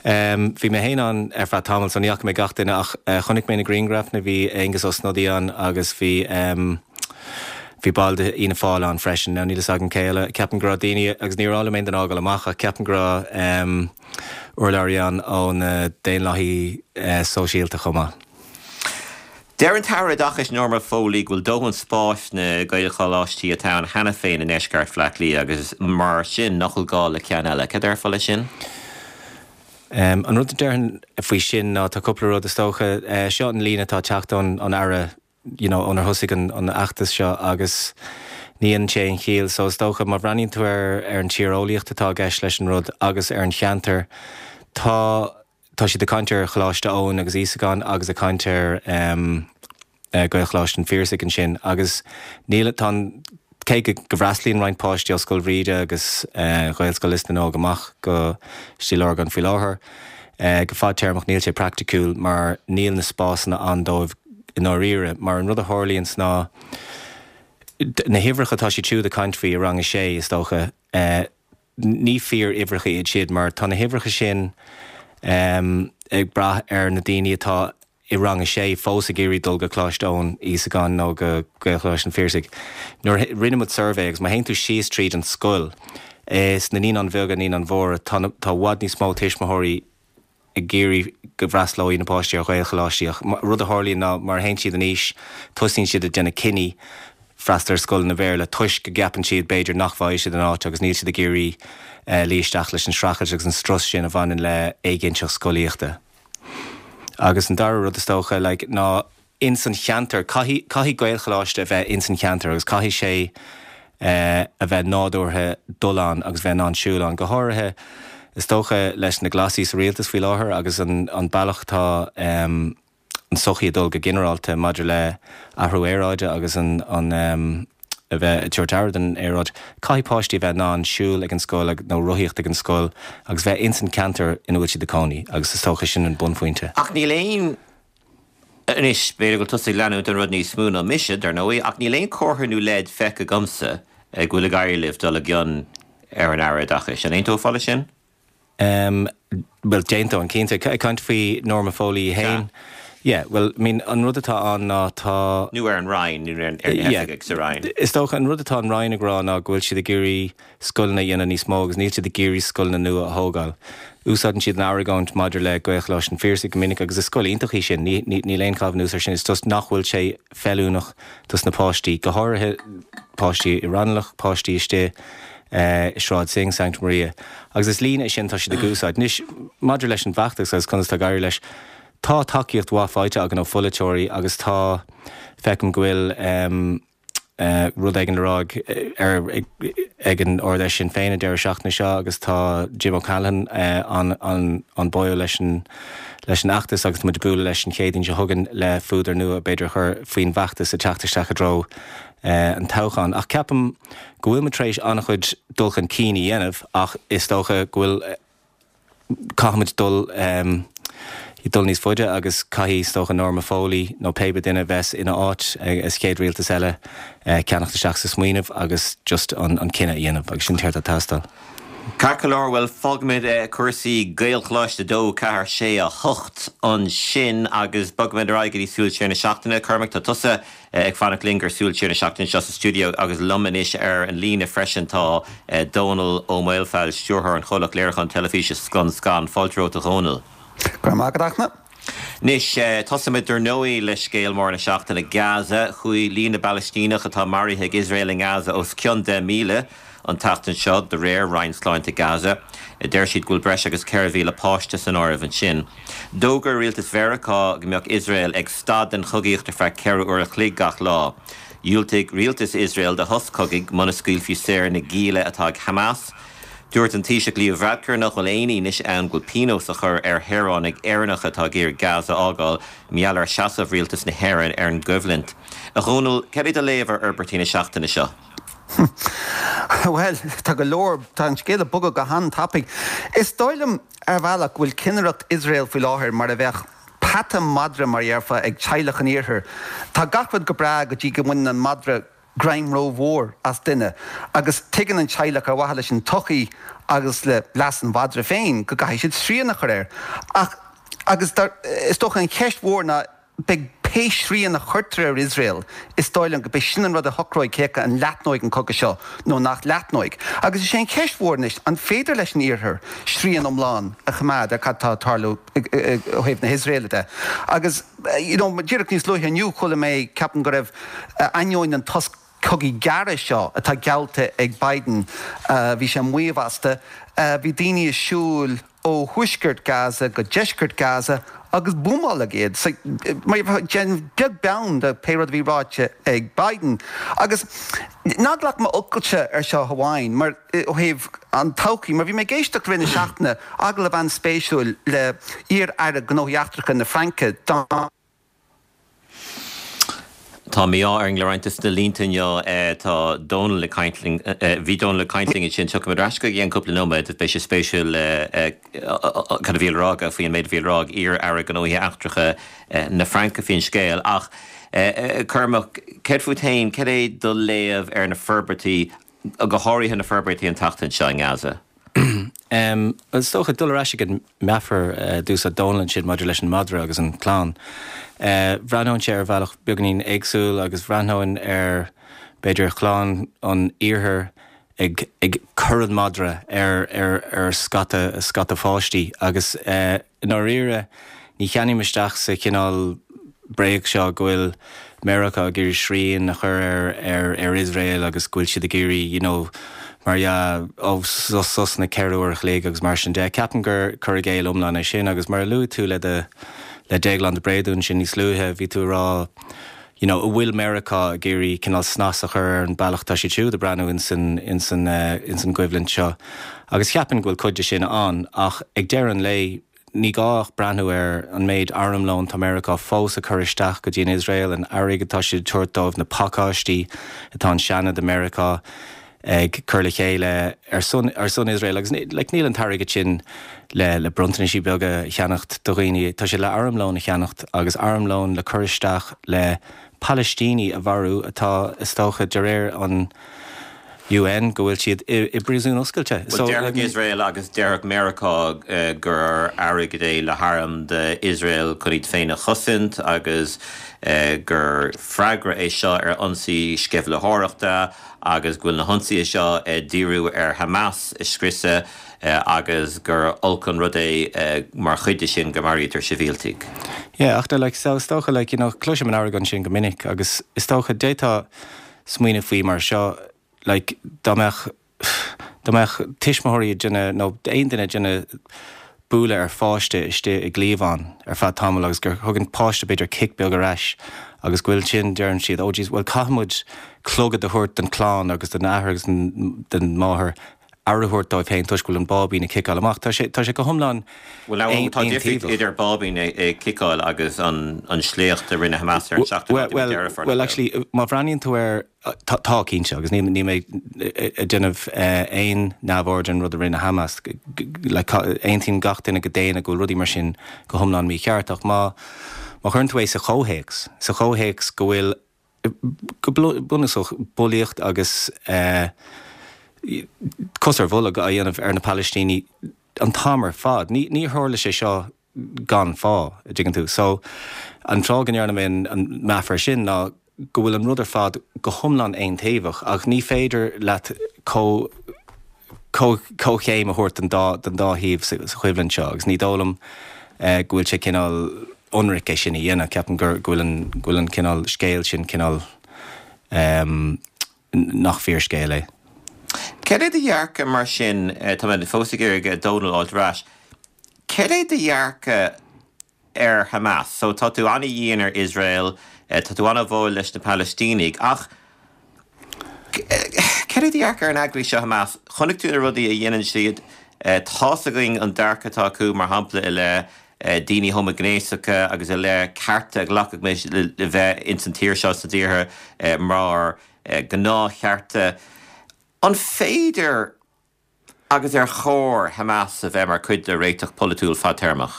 Um, bhí mé féin ann ar feadh tamall so ní fhaca mé gach duine ach uh, chonaic mé na grianghraif na bhí Aengus Ó Snodaigh ann agus bhí um, Bhí ball de Fhianna Fáil ann freisin ná níl a fhios agam cé eile ceapaim go raibh daoine agus níor fháil mé den ágáil amach ach ceapaim go raibh um, urlabhraí ann ó na Daonlathaithe uh, Sóisialta chomh maith. Deir an tAire Oideachais Norma Foley go bhfuil dóthain spáis sna Gaelcholáistí atá ann cheana féin i ndeisceart Bhaile Átha Cliath agus mar sin nach bhfuil gá le ceann eile. Cad déarfá leis sin? Um, an rud a déarfainn faoi sin ná tá cúpla rud is dócha uh, seo an líne atá ag teacht ón an Aire you know, ónar thosaigh an, an fheachtas seo agus ní an sé an chiall so is dócha má bhreathnaíonn tú ar ar an tíreolaíocht atá i gceist leis an rud agus ar an cheantar tá tá siad ag caint ar Choláiste Eoin agus Íosagáin agus ag caint ar um, uh, Gaelcholáiste an Phiarsaigh ansin agus níl tá cé go go bhfreastalaíonn roinnt páistí ó Scoil Bhríde agus uh, Ghaelscoil Lios na nÓg amach go Stíl Lorgan faoi láthair. Uh, go fadtéarmach níl sé praiticiúil mar níl na spásanna ann dóibh i ndáiríre, mar an rud a tharlaíonn ná na huimhreacha atá siad siúd ag caint faoi i rang a sé is dócha uh, ní fíor uimhreacha iad siad mar tá na huimhreacha sin um, ag brath ar na daoine atá i rang a sé fós ag iarraidh dul go Coláiste Eoin Íosagáin nó go Gaelcholáiste an Phiarsaigh. Nuair rinne muid suirbhé agus má théann tú síos tríd an scoil is na naíonáin bheaga naíonáin mhóra tá tá i bhfad níos mó tuismitheoirí ag iarraidh go bhfreastalóidh na páistí ar Ghaelcholáistí ach rud a tharlaíonn ná mar a théann siad in aois tosaíonn siad ag déanamh cinní freastal ar scoileanna Béarla toisc go gceapann siad b'fhéidir nach bhfaighidh siad an áit agus níl siad ag iarraidh uh, luí isteach leis an streachailt agus an strus sin a bhaineann le éiginnteacht scolaíochta. Agus an dara rud is dócha like, ná ins an cheantar caithfidh caithfidh Gaelcholáiste a bheith ins an cheantar agus caithfidh sé uh, a bheith nádúrtha dul ann agus bheith in ann siúl ann go háirithe is dócha leis na Glasaigh sa rialtas faoi láthair agus an, an bealach tá um, an sochaí ag dul go ginearálta maidir le athrú aeráide agus an, an um, a bheith ag tabhairt aire don aeráid. Caithfidh páistí a bheith in ann siúl ag an scoil ag, nó rothaíocht ag an scoil agus bheith ins an ceantar ina bhfuil siad ag cónaí agus is dócha sin an bunphointe. Ach níl aon Anois b'fhéidir go bhfuil tusa ag leanúint an rud níos mó ná mise dar ndóigh, ach níl aon comhartha nó leid feicthe agamsa go bhfuil ag éirí libh dul i gcion ar an Aire Oideachais. An aontófá leis sin? Um, well d'aontóinn cinnte ag caint faoi Norma Foley féin. Yeah, well, I mean, an rud atá ann ná tá Nó ar an Roinn nó ar ar na hoifigigh sa Roinn. Is dócha an rud atá an Roinn ag rá ná go bhfuil siad ag iarraidh scoileanna a dhéanamh níos mó agus níl siad ag iarraidh scoileanna nua a thógáil. Úsáideann siad an argóint maidir le Gaelcholáiste an Phiarsaigh go minic agus is scoil iontach í sin, níl aon chaitheamh anuas air sin, is just nach bhfuil sé feiliúnach dos na páistí, go háirithe páistí i Raghnallach, páistí istigh i Sráid Synge, Sancta Maria. Agus is líne é sin tá siad ag úsáid. Anois, maidir leis an bhfeachtas agus conas tá ag éirí leis, tá tacaíocht mhaith faighte againn ó pholaiteoirí agus tá, feicim go bhfuil rud éigin le rá ar ag an Ard-Fheis Sinn Féin an deireadh seachtaine seo agus tá Jim O'Callaghan an an an báúil leis an leis an fheachtas agus tá muid ag bualadh leis an Chéadaoin seo chugainn le fuadar nua b'fhéidir a chur faoin bhfeachtas ag teacht isteach i dtreo an toghcháin. Ach ceapaim go bhfuil muid tar éis an-chuid dul chun cinn a dhéanamh ach is dócha go bhfuil caithfimid dul dul níos faide agus caithfidh is dócha Norma Foley nó pé duine a bheas ina áit sa chéad rialtas eile ceannacht isteach sa smaoineamh agus just an an cinneadh a dhéanamh agus sin céard atá ag teastáil. Ceart go leor, bhuel fágfaimid cúrsaí Gaelcholáiste a dó, ceathair, sé, a hocht ansin agus bogfaimid ar aghaidh go dtí Súil Siar na Seachtaine. Cormac, tá tusa ag fanacht linn gur Súil Siar na Seachtaine seo sa stiúideo agus liom anois ar an líne freisin tá Dónal Ó Maolfabhail, stiúrthóir an chomhlacht léiriúcháin teilifíse Scun Scan. Fáilte romhat a Dhónaill. Go raibh maith agat, a Fhachtna. Anois, tosóimid dar ndóigh le scéal mór na seachtaine, Gaza. Chuaigh líon na bPalaistíneach atá maraithe ag Iosrael i nGaza os cionn deich míle an tseachtain seo, de réir Roinn Sláinte Gaza. Deir siad go bhfuil breis agus ceithre mhíle páiste san áireamh ansin. D'fhógair rialtas Mheiriceá go mbeadh Iosrael ag stad den chogaíocht ar feadh ceithre uair a chloig gach lá. Dhiúltaigh rialtas Iosrael do shos cogaidh muna scaoilfí saor na gialla atá ag Hamas. Dúirt an Taoiseach Leo Varadkar nach bhfuil aon fhianaise ann go bhfuil pionós á chur ar shaoránaigh Éireannacha atá ag iarraidh Gaza a fhágáil mar gheall ar sheasamh rialtas na hÉireann ar an gcoimhlint. A Dhónaill, cad é do léamh ar fhorbairtí na seachtaine seo? Bhuel, tá go leor, tá an scéal ag bogadh go han-tapaidh. Is dóigh liom ar bhealach go bhfuil cinnireacht Iosrael faoi láthair mar a bheadh peata madra mar a dhéarfá ag teaghlach an iarthair. Tá gach rud go breá go dtí go mbaineann an madra greim rómhór as duine agus tuigeann an teaghlach ar mhaithe leis an tsochaí agus le leas an mhadra féin go gcaithfidh siad srian a chur air. Ach agus is dócha an cheist mhór ná beidh pé srian a chuirtear ar Iosrael, is dóigh liom go beidh sin an rud a shocróidh cé acu an leathnóidh an cogadh seo nó nach leathnóidh. Agus is é an cheist mhór anois an féidir leis an Iarthar srian iomlán a choimeád ar cad tá ag tarlú ó thaobh na hIosraeile de. Agus you know díreach níos luaithe inniu chuala mé, ceapaim go raibh, ainneoin an tos cogaidh gearra seo atá geallta ag Biden, bhí sé ag maíomh astu, bhí daoine ag siúl ó thuaisceart Gaza go deisceart Gaza agus buamáladh iad. So, déanamh beag beann de pé rud a bhí ráite ag Biden. Agus ná glac m'fhocalsa ar seo amháin, mar ó thaobh an todhchaí, mar bhí mé ag éisteacht i rith na seachtaine, agallamh an-spéisiúil le iar-aire gnóthaí eachtracha na Fraince, Don. Tá mí-ádh ar an le roinnt de na línte inniu. Tá Dónal ag caint linn, bhí Dónal ag caint linn ansin, tiocfaimid ar ais chuige i gceann cúpla nóiméad. Beidh sé spéisiúil cad a bhí le rá aige faoi an méid a bhí le rá ag iar-aire gnóthaí eachtracha na Fraince faoin scéal. Ach Cormac, céard fút féin, cad é do léamh ar na forbairtí, go háirithe na forbairtí an tseachtain seo i nGaza? Is dócha dul ar ais ag an meafar a d'úsáid Dónal ansin maidir leis an madra agus an chlann. Bhreathnóinnse ar bhealach beagáinín éagsúil agus bhreathnóinn ar, b'fhéidir, chlann an iarthair ag ag cur an mhadra ar ar ar scata scata pháistí agus i ndáiríre ní cheannaím isteach sa chineál bréag seo go bhfuil Meiriceá ag iarraidh srian a chur ar ar ar Iosrael agus go bhfuil siad ag iarraidh you know mar dhea ó sos sosanna ceithre uair a chloig agus mar sin de. Ceapaim gur cur i gcéill iomlán é sin agus mar a luaigh tú le do le Déaglán de Bréadún sin níos luaithe bhí tú ag rá you know an bhfuil Meiriceá ag iarraidh cineál snas a chur ar an bealach tá siad siúd ag breathnú insan insan insan gcoimhlint seo agus cheapfainn go bhfuil cuid de sin ann ach ag deireadh an lae Ní gá ach breathnú ar an méid armlóin tá Meiriceá fós ag cur isteach go dtí an Iosrael, an airgead atá siad ag tabhairt dóibh, na pacáistí atá an Seanad i Meiriceá ag cur le chéile ar son ar son Iosrael agus like níl an t-airgead sin le le bronntanaisí beaga a cheannacht do dhaoine, tá sé le armlón a cheannacht agus armlón le cur isteach le Palaistínigh a mharú atá is dócha de réir an UN go bhfuil siad i bpríosún oscailte. Bhuel, déarfadh Iosrael agus déarfadh Meiriceá gur airgead é le hairm d'Iosrael chun iad féin a chosaint agus gur freagra é seo ar ionsaí sceimhlitheoireachta agus go bhfuil na hionsaithe seo ag díriú ar Hamas a scriosadh agus gur olc an rud é mar chuid de sin go maraítear sibhialtaigh. Yeah, ach like, so is dócha, like, you know, cloisim an argóint sin go minic agus is dócha d'fhéadfá smaoineamh faoi mar seo, like, dá mbeadh, Dá mbeadh tuismitheoirí ag déanamh, nó aon duine ag déanamh bualadh ar pháiste istigh i gcliabhán ar feadh tamaill agus gur thug an páiste b'fhéidir cic beag ar ais agus go bhfuil sin, deireann siad, oh jeez, bhuel caithfidh muid clogad a thabhairt don chlann agus don athair agus don máthair aire a thabhairt dóibh féin toisc go bhfuil an báibín ag ciceáil amach. Tá sé, tá sé go hiomlán Bhuel now tá difríocht aontaobhach. idir báibín ag ciceáil agus an an sléacht a rinne Hamas ar an seachtú lá Bhuel, de mhí Deireadh Fómhair. bhuel, actually, má bhreathnaíonn tú air, tá, tá cinnte, agus níl, níl mé ag déanamh aon neamhaird ar an rud a rinne Hamas, like, aontaíonn gach duine go daonna go bhfuil rudaí mar sin go hiomlán mícheart, ach má, má chuireann tú é sa chomhthéacs, sa chomhthéacs go bhfuil, go bunúsach, bulaíocht agus cos ar bholg á dhéanamh ar na Palaistínigh an t-am ar fad. Ní, ní tharla sé seo gan fáth, a dtuigeann tú. So, an fáth go ndearna mé an meafar sin ná go bhfuil an rud ar fad go hiomlán aontaobhach ach ní féidir leat comh, comhchéim a thabhairt don dá, don dá thaobh sa, sa choimhlint seo agus ní dóigh liom go bhfuil sé cineál ionraic é sin a dhéanamh. Ceapaim gur, go bhfuil an, go bhfuil an cineál scéal sin cineál nach fíorscéal é. Cad é do dhearcadh mar sin, tá mé fós ag iarraidh Dónal a fháilt ar ais, cad é do dhearcadh ar Hamas? So tá tú an-dhian ar Iosrael, tá tú an-bháúil leis na Palaistínigh, ach cad é do dhearcadh ar an eagraíocht seo Hamas? Chonaic tú na rudaí a dhéanann siad, tá's againn an dearcadh atá acu mar shampla i leith daoine homaighnéasacha agus i leith cearta a ghlacfadh muid le bheith ins an tír seo sna tíortha mar gnáthchearta. An féidir agus ar chóir Hamas a bheith mar chuid de réiteach polaitiúil fadtéarmach?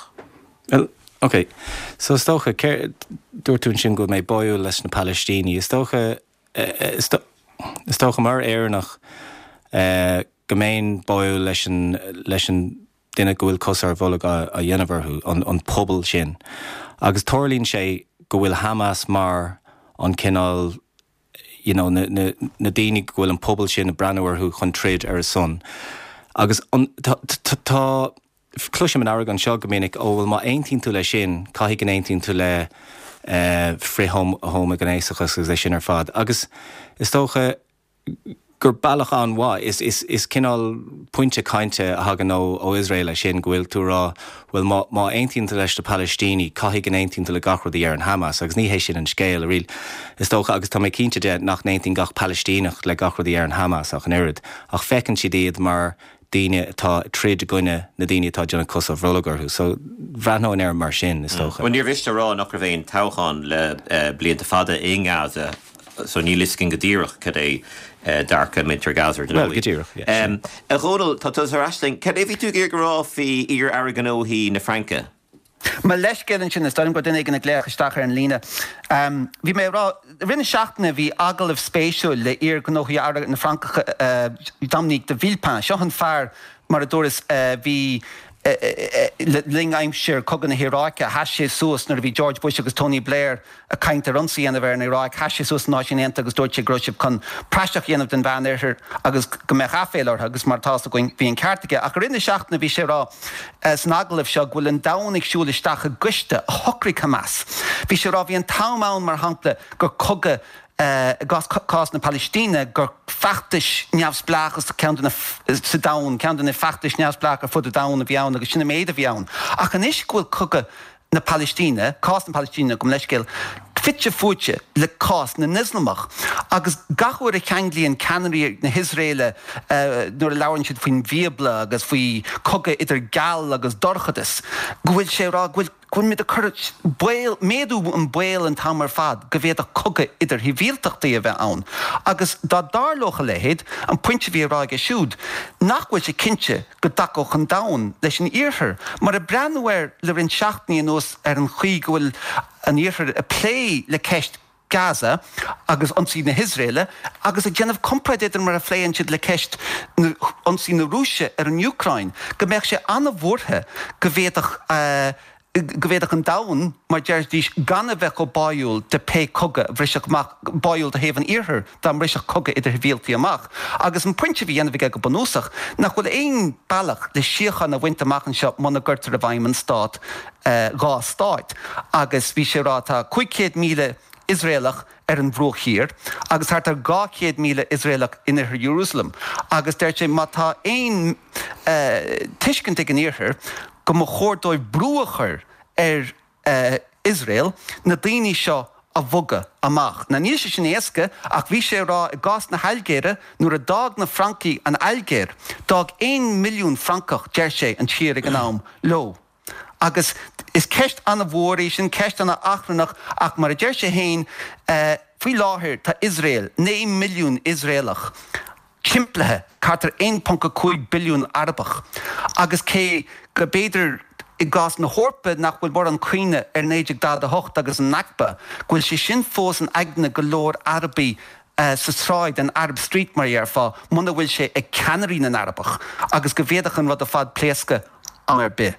Bhuel, ok. So is dócha, dúirt tú ansin go bhfuil mé báúil leis na Palaistínigh. Is dócha, is dócha mar Éireannach go mbeinn báúil leis an, leis an duine go bhfuil cos ar bholg á dhéanamh orthu, an, an pobal sin. Agus tarlaíonn sé go bhfuil Hamas mar an cineál, you know, na, na, na daoine go bhfuil an pobal sin ag breathnú orthu chun troid ar a son. Agus an, tá, tá, tá, cloisim an argóint seo go minic, ó bhuel má aontaíonn tú leis sin, caithfidh go n-aontaíonn tú le eh, frith-homaighnéasachas agus é sin ar fad. Agus is dócha gur bealach an-mhaith, is, is, is cineál pointe cainte a thagann ó, ó Iosrael é sin, go bhfuil tú ag rá, bhuel má, má aontaíonn tú leis na Palaistínigh, caithfidh go n-aontaíonn tú le gach rud a deireann Hamas, agus ní hé sin an scéal, really. Is dócha, agus tá mé cinnte de, nach n-aontaíonn gach Palaistíneach le gach rud a deireann Hamas ach an oiread, ach feiceann siad iad mar daoine atá ag troid i gcoinne na daoine atá ag déanamh cos ar bholg orthu. So bhreathnóinn air mar sin, is dócha. Bhuel, níor mhiste a rá nach raibh aon toghchán le blianta fada i nGaza, so níl fhios againn go díreach cad é dearcadh muintir Gaza ar Bhuel, go díreach, yeah, sin. A Dhónaill, tá tusa ar ais linn. Cad é bhí tú ag iarraidh a rá faoi iar-aire gnóthaí na Fraince? Mo leithscéal ansin, is dóigh liom go raibh duine éigin ag glaoch isteach ar an líne. Bhí mé ag rá, i rith na seachtaine bhí agallamh spéisiúil le iar-ghnóthaí aire na Fraince, Dominique de Villepin. Seo an fear, mar a dúras, a bhí le linn aimsir Cogadh na hIaráice, sheas sé suas nuair a bhí George Bush agus Tony Blair ag caint ar ionsaí a dhéanamh ar an Iaráic, sheas sé suas sna Náisiúin Aontaithe agus dúirt sé go raibh siad chun praiseach a dhéanamh den Mheánoirthear agus go mbeadh aiféala orthu agus mar atá 'fhios againn bhí an ceart aige. Ach i rith na seachtaine bhí sé ag rá san agallamh seo go bhfuil an domhan ag siúl isteach i gcoiste a shocraigh Hamas. Bhí sé ag rá bhí an t-am ann mar shampla gur cogadh i gcás cás na Palaistíne gur feachtais neamhspleáchas ceann de na sa domhan, ceann de na feachtais neamhspleácha ar fud an domhain a bhí ann agus sin an méid a bhí ann. Ach anois go bhfuil cogadh na Palaistíne, cás na Palaistíne gabh mo leithscéal, fite fuaite le cás na nIoslamach agus gach uair a cheanglaíonn ceannairí na hIosraeile nuair a labhrann siad faoin Bhíobla agus faoi cogadh idir geal agus dorchadas go bhfuil sé ag rá go bhfuil go bhfuilimid ag cur baol, méadú an baol an t-am ar fad go bhféadfadh cogadh idir shibhialtachtaí a bheith ann. Agus dá dtarlódh a leithéid, an pointe a bhí á rá aige siúd, nach bhfuil sé cinnte go dtacódh an domhan leis an Iarthar. Mar ag breathnú air le roinnt seachtainí anuas ar an chaoi go bhfuil an Iarthar ag plé le ceist Gaza agus ionsaí na hIosraeile agus ag déanamh comparáid idir mar a phléann siad le ceist ionsaí na Rúise ar an Úcráin, go mbeadh sé an-bhuartha go bhféadfadh go bhféadfadh an domhan, mar deiridís, gan a bheith chomh báúil de pé cogadh a bhrisfeadh amach, báúil do thaobh an Iarthair dá mbrisfeadh cogadh idir shibhialtaí amach. Agus an pointe a bhí a dhéanamh aige go bunúsach, nach bhfuil aon bealach le síocháin a bhaint amach anseo muna gcuirtear i bhfeidhm an stát dhá stáit. Agus bhí sé ag rá tá cúig chéad míle Iosraelach ar an Bhruach Thiar agus thart ar dhá chéad míle Iosraelach in oirthear Iarúsailéim agus deir sé má tá aon tuiscint ag an Iarthar go mba chóir dóibh brú a chur ar Iosrael na daoine seo a bhogadh amach. Now níl sé sin éasca ach bhí sé ag rá i gcás na hAilgéire nuair a d'fhág na Francaigh an Ailgéir, d'fhág aon milliún Francach, deir sé, an tír ag an am leo. Agus is ceist an-mhór í sin, ceist an-achrannach ach mar a deir sé féin, faoi láthair tá Iosrael, naoi milliún Iosraelach, timplithe thart ar aon ponc a cúig billiún Arabach agus cé go b'fhéidir i gcás na hEorpa nach bhfuil mórán cuimhne ar naoi déag daichead a hocht agus an Nakba, go bhfuil sé sin fós in aigne go leor Arabaigh sa tsráid, an Arab Street mar a dhéarfá, muna bhfuil sé ag ceannairí na nArabach agus go bhféadfadh an rud ar fad pléascadh am ar bith.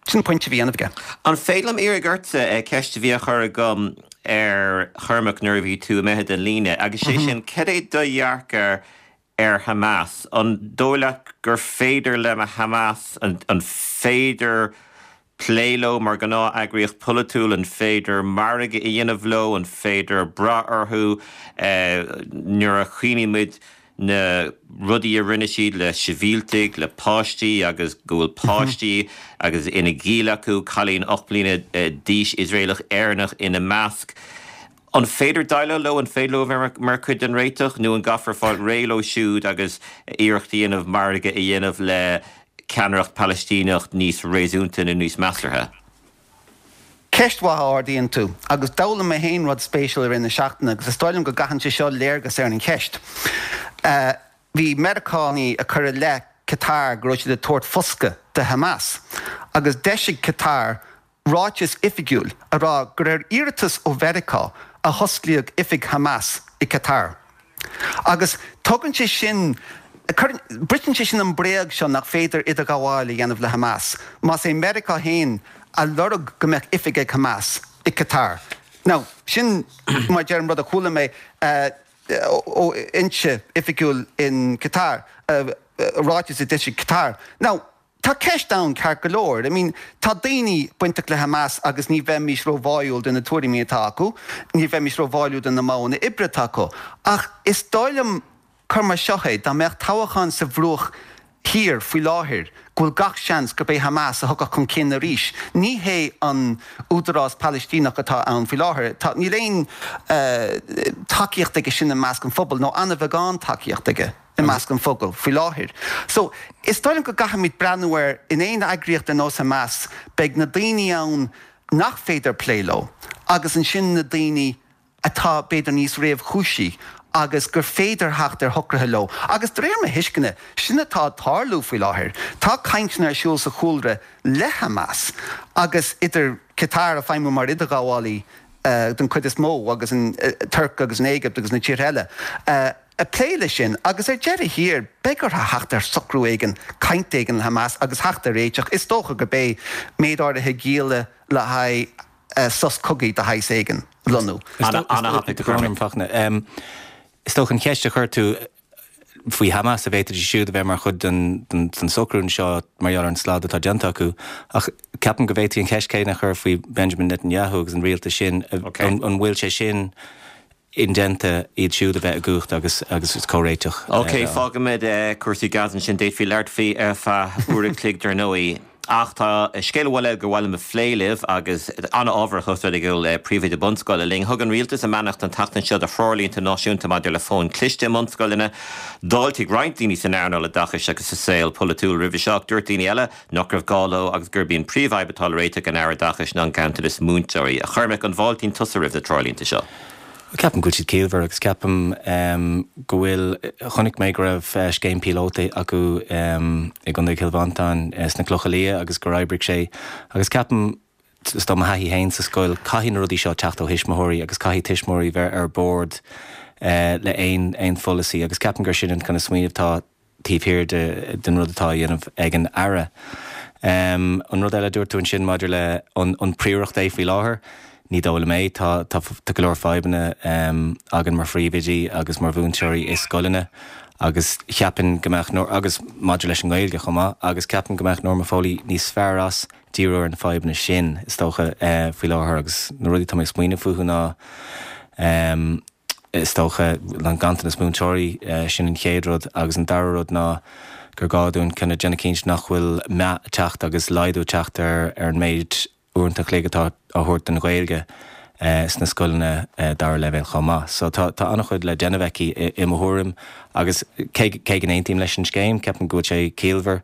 Sin an pointe a bhí á dhéanamh aige. An féidir liom iarraidh ortsa ceist a bhí á chur agam ar Chormac nuair a bhí tú imithe den líne, agus sé sin, cad é do dhearcadh ar Hamas? An dóigh leat gur féidir le Hamas, an féidir plé leo mar ghnáth-eagraíocht pholaitiúil, an féidir margadh a dhéanamh leo, an féidir brath orthu nuair a chuimhnímid na rudaí a rinne siad le sibhialtaigh, le páistí agus go bhfuil páistí agus ina ngiall acu, cailín ocht mbliana d'aois Iosraelach Éireannach ina measc. An féidir déileáil leo, an féidir leo a bheith mar chuid den réiteach nó an gcaithfear fáil réidh leo siúd agus iarracht a dhéanamh margadh a dhéanamh le ceannaireacht Palaistíneach níos réasúnta nó níos measartha? Ceist mhaith a ardaíonn tú, agus d'fhoghlaim mé féin rud spéisiúil i rith na seachtaine agus is dóigh liom go gcaitheann sé seo léargas ar an cheist. Bhí Meiriceánaigh ag cur i leith Qatar go raibh siad ag tabhairt foscadh do Hamas agus d'eisigh Qatar ráiteas oifigiúil ag rá gur ar iarratas ó Mheiriceá a hosclaíodh oifig Hamas i Qatar. Agus tugann sé sin, briseann sé sin an bréag seo nach féidir idirghabháil a dhéanamh le Hamas, más é Meiriceá féin a lorg go mbeadh oifig ag Hamas i Qatar. Now, sin, mar a deirim, rud a chuala mé ó fhoinse oifigiúil in Qatar, ráiteas a d'eisigh Qatar. Now, tá ceist ann ceart go leor. I mean, tá daoine bainteach le Hamas agus ní bheimis róbháúil de na tuairimí atá acu, ní bheimis róbháúil de na modhanna oibre atá acu. Ach is dóigh liom, cuir mar seo é, dá mbeadh toghchán sa Bhruach Thiar faoi láthair, go bhfuil gach seans gurb é Hamas a thiocfadh chun cinn arís. Ní hé an Údarás Palaistíneach atá ann faoi láthair. Tá, níl aon tacaíocht aige sin i measc an phobail, nó an-bheagán tacaíocht aige i measc an phobail faoi láthair. So, is dóigh liom go gcaithfimid breathnú air in aon eagraíocht ar nós Hamas, beidh na daoine ann nach féidir plé leo agus ansin na daoine atá b'fhéidir níos réamhchúisí agus gur féidir theacht ar shocruithe leo. Agus de réir mo thuisceana, sin atá ag tarlú faoi láthair. Tá cainteanna ar siúl sa chúlra le Hamas agus idir Qatar ag feidhmiú mar idirghabhálaí den chuid is mó agus an Tuirc agus an Éigipt agus na tíortha eile ag plé leis sin. Agus ar deireadh thiar, beidh orthu theacht ar socrú éigin, caint éigin le Hamas agus theacht ar réiteach. Is dócha gurb é méid áirithe gialla le haghaidh sos cogaidh de shaghas éigin a lonnú. Is dócha an cheist a chuir tú faoi Hamas, an bhféadfaidís siúd a bheith mar chuid den socrú anseo mar gheall ar an slad atá déanta acu, ach ceapaim go bhféadfaí an cheist chéanna a chur faoi Benjamin Netanyahu agus an rialtas sin, an bhfuil sé sin indéanta iad siúd a bheith i gcumhacht agus agus comhréiteach. Ok, fágfaimid cúrsaí Gaza ansin, d'fhéadfaí labhairt faoi ar feadh uair an chloig dar ndóigh. Ach tá scéal eile gur mhaith liom a phlé libh agus an-ábharach ós rud é go bhfuil príomhoide bunscoile linn. Thug an rialtas a mbeannacht an tseachtain seo do threoirlínte náisiúnta maidir le fóin chliste i mbunscoileanna. D'fháiltigh roinnt daoine san earnáil oideachais agus sa saol polaitiúil roimhe seo ach dúirt daoine eile nach raibh gá leo agus gurb í an príomhfhadhb atá le réiteach ag an Aire Oideachais ná an ganntanas múinteoirí. A Chormaic, an bhfáiltíonn tusa roimh na treoirlínte seo? Ceapaim go bhfuil siad ciallmhar agus ceapaim go bhfuil, chonaic mé go raibh scéim píolóta acu i gContae Chill Mhantáin sna Clocha Liath agus gur oibrigh sé agus ceapaim, is dóigh mo thaithí féin sa scoil, caithfidh na rudaí seo teacht ó thuismitheoirí agus caithfidh tuismitheoirí bheith ar bord le aon aon pholasaí agus ceapaim gur sin an kind of smaoineamh atá taobh thiar de den rud atá á dhéanamh ag an Aire. An rud eile a dúirt tú ansin maidir le an an príoracht é faoi láthair, ní dóigh liom é. Tá tá tá go leor fadhbanna againn mar phríomhoidí agus mar mhúinteoirí i scoileanna agus cheapfainn go mbeadh agus maidir leis an nGaeilge chomh maith agus ceapaim go mbeadh Norma Foley níos fearr as díriú ar na fadhbanna sin is dócha faoi láthair agus na rudaí atá mé ag smaoineamh fúthu ná Is dócha an ganntanas múinteoirí, sin an chéad rud, agus an dara rud ná gur gá dúinn kind of déanamh cinnte nach bhfuil meath ag teacht agus laghdú ag teacht ar ar an méid uaireanta an chloig atá á thabhairt don Ghaeilge sna scoileanna dara leibhéal chomh maith. So tá tá an-chuid le déanamh aici i mo thuairim agus cé cé go n-aontaím leis an scéim, ceapaim go bhfuil sé ciallmhar.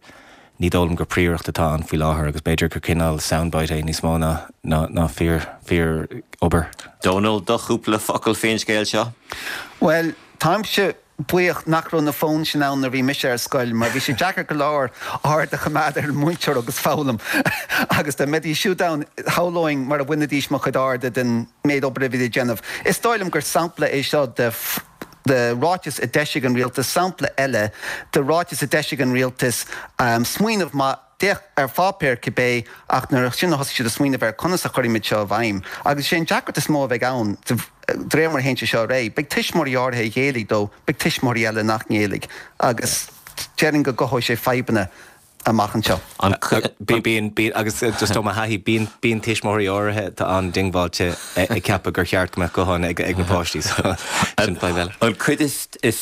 Ní dóigh liom gur príoracht atá ann faoi láthair agus b'fhéidir gur cineál soundbite é níos mó ná ná fíor fíor obair. Dónal, do chúpla focal faoin scéal seo? Bhuel, táimse buíoch nach raibh na fóin sin ann nuair a bhí mise ar scoil mar bhí sé deacair go leor aird a choimeád ar an múinteoir agus foghlaim agus dá mbeidís siúd ann shamhlóinn mar a bhainfidís mo chuid airde den méid obair a bhí le déanamh. Is dóigh liom gur sampla é seo de de ráiteas a d'eisigh an rialtas, sampla eile de ráiteas a d'eisigh an rialtas, smaoineamh maith, d'fhéach ar pháipéar cibé, ach nuair sin a thosaigh siad ag smaoineamh ar conas a chuirfimid seo i bhfeidhm. Agus is é an deacracht is mó a bheidh ann, de réir mar a théann sé seo ar aghaidh, beidh tuismitheoirí áirithe a ghéillfidh dó, beidh tuismitheoirí eile nach ngéillfidh. Agus déarfainn go gcothóidh sé fadhbanna amach anseo. Bíonn, bíonn, agus just ó mo thaithí, bíonn, bíonn tuismitheoirí áirithe atá an-diongbháilte ag ceapadh gur cheart go mbeadh gutháin ag, ag na páistí, so sin fadhb eile. An cuid is, is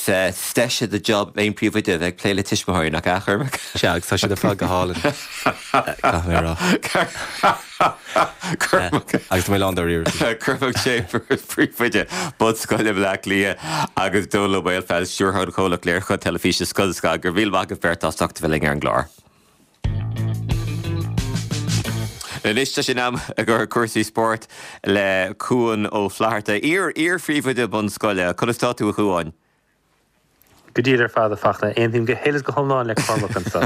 deise de job aon príomhoide a bheith ag plé le tuismitheoirí, nach ea, a Chormaic? Sea, agus tá siad ar fad go hálainn, caithfidh mé a rá. Cormac. Agus tá mé lán dáiríre. Cormac Chambers, Príomhoide Bunscoile Bhaile Átha Cliath agus Dónal Ó Maolfabhail, Stiúrthóir an chomhlacht léiriúcháin teilifíse Scoil Scoil. Go raibh míle maith agaibh beirt as ucht a bheith linn ar an gclár. Anois tá sé in am a ghabháil cúrsaí spóirt le Cuan Ó Flatharta, iar-iar-phríomhoide bunscoile. Conas tá tú a Chuáin? Go diail ar fad, a Fachtna. Aontaím go huile is go hiomlán le Cormac anseo.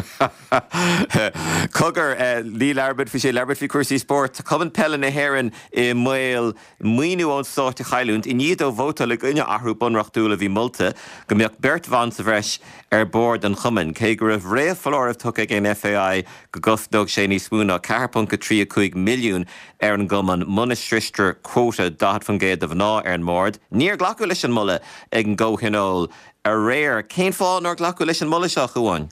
Cogar, ní labhróidh muid faoi sin, labhróidh muid faoi chúrsaí spóirt. Tá Cumann Peile na hÉireann i mbaol maoiniú ón stát a chailliúint i ndiaidh dó vótáil i gcoinne athrú bunreachtúil a bhí molta go mbeadh beirt bhan sa bhreis ar bhord an chumainn, cé go raibh réamhfholáireamh tugtha ag an FAI go gcosnódh sé níos mó ná a ceathair ponc a trí a cúig milliún ar an gcumann muna sroichtear quota daichead faoin gcéad de mhná ar an mbord. Níor glacadh leis an moladh ag an gcomhthionól aréir. Cén fáth nár glacadh leis an moladh seo, a Chuáin?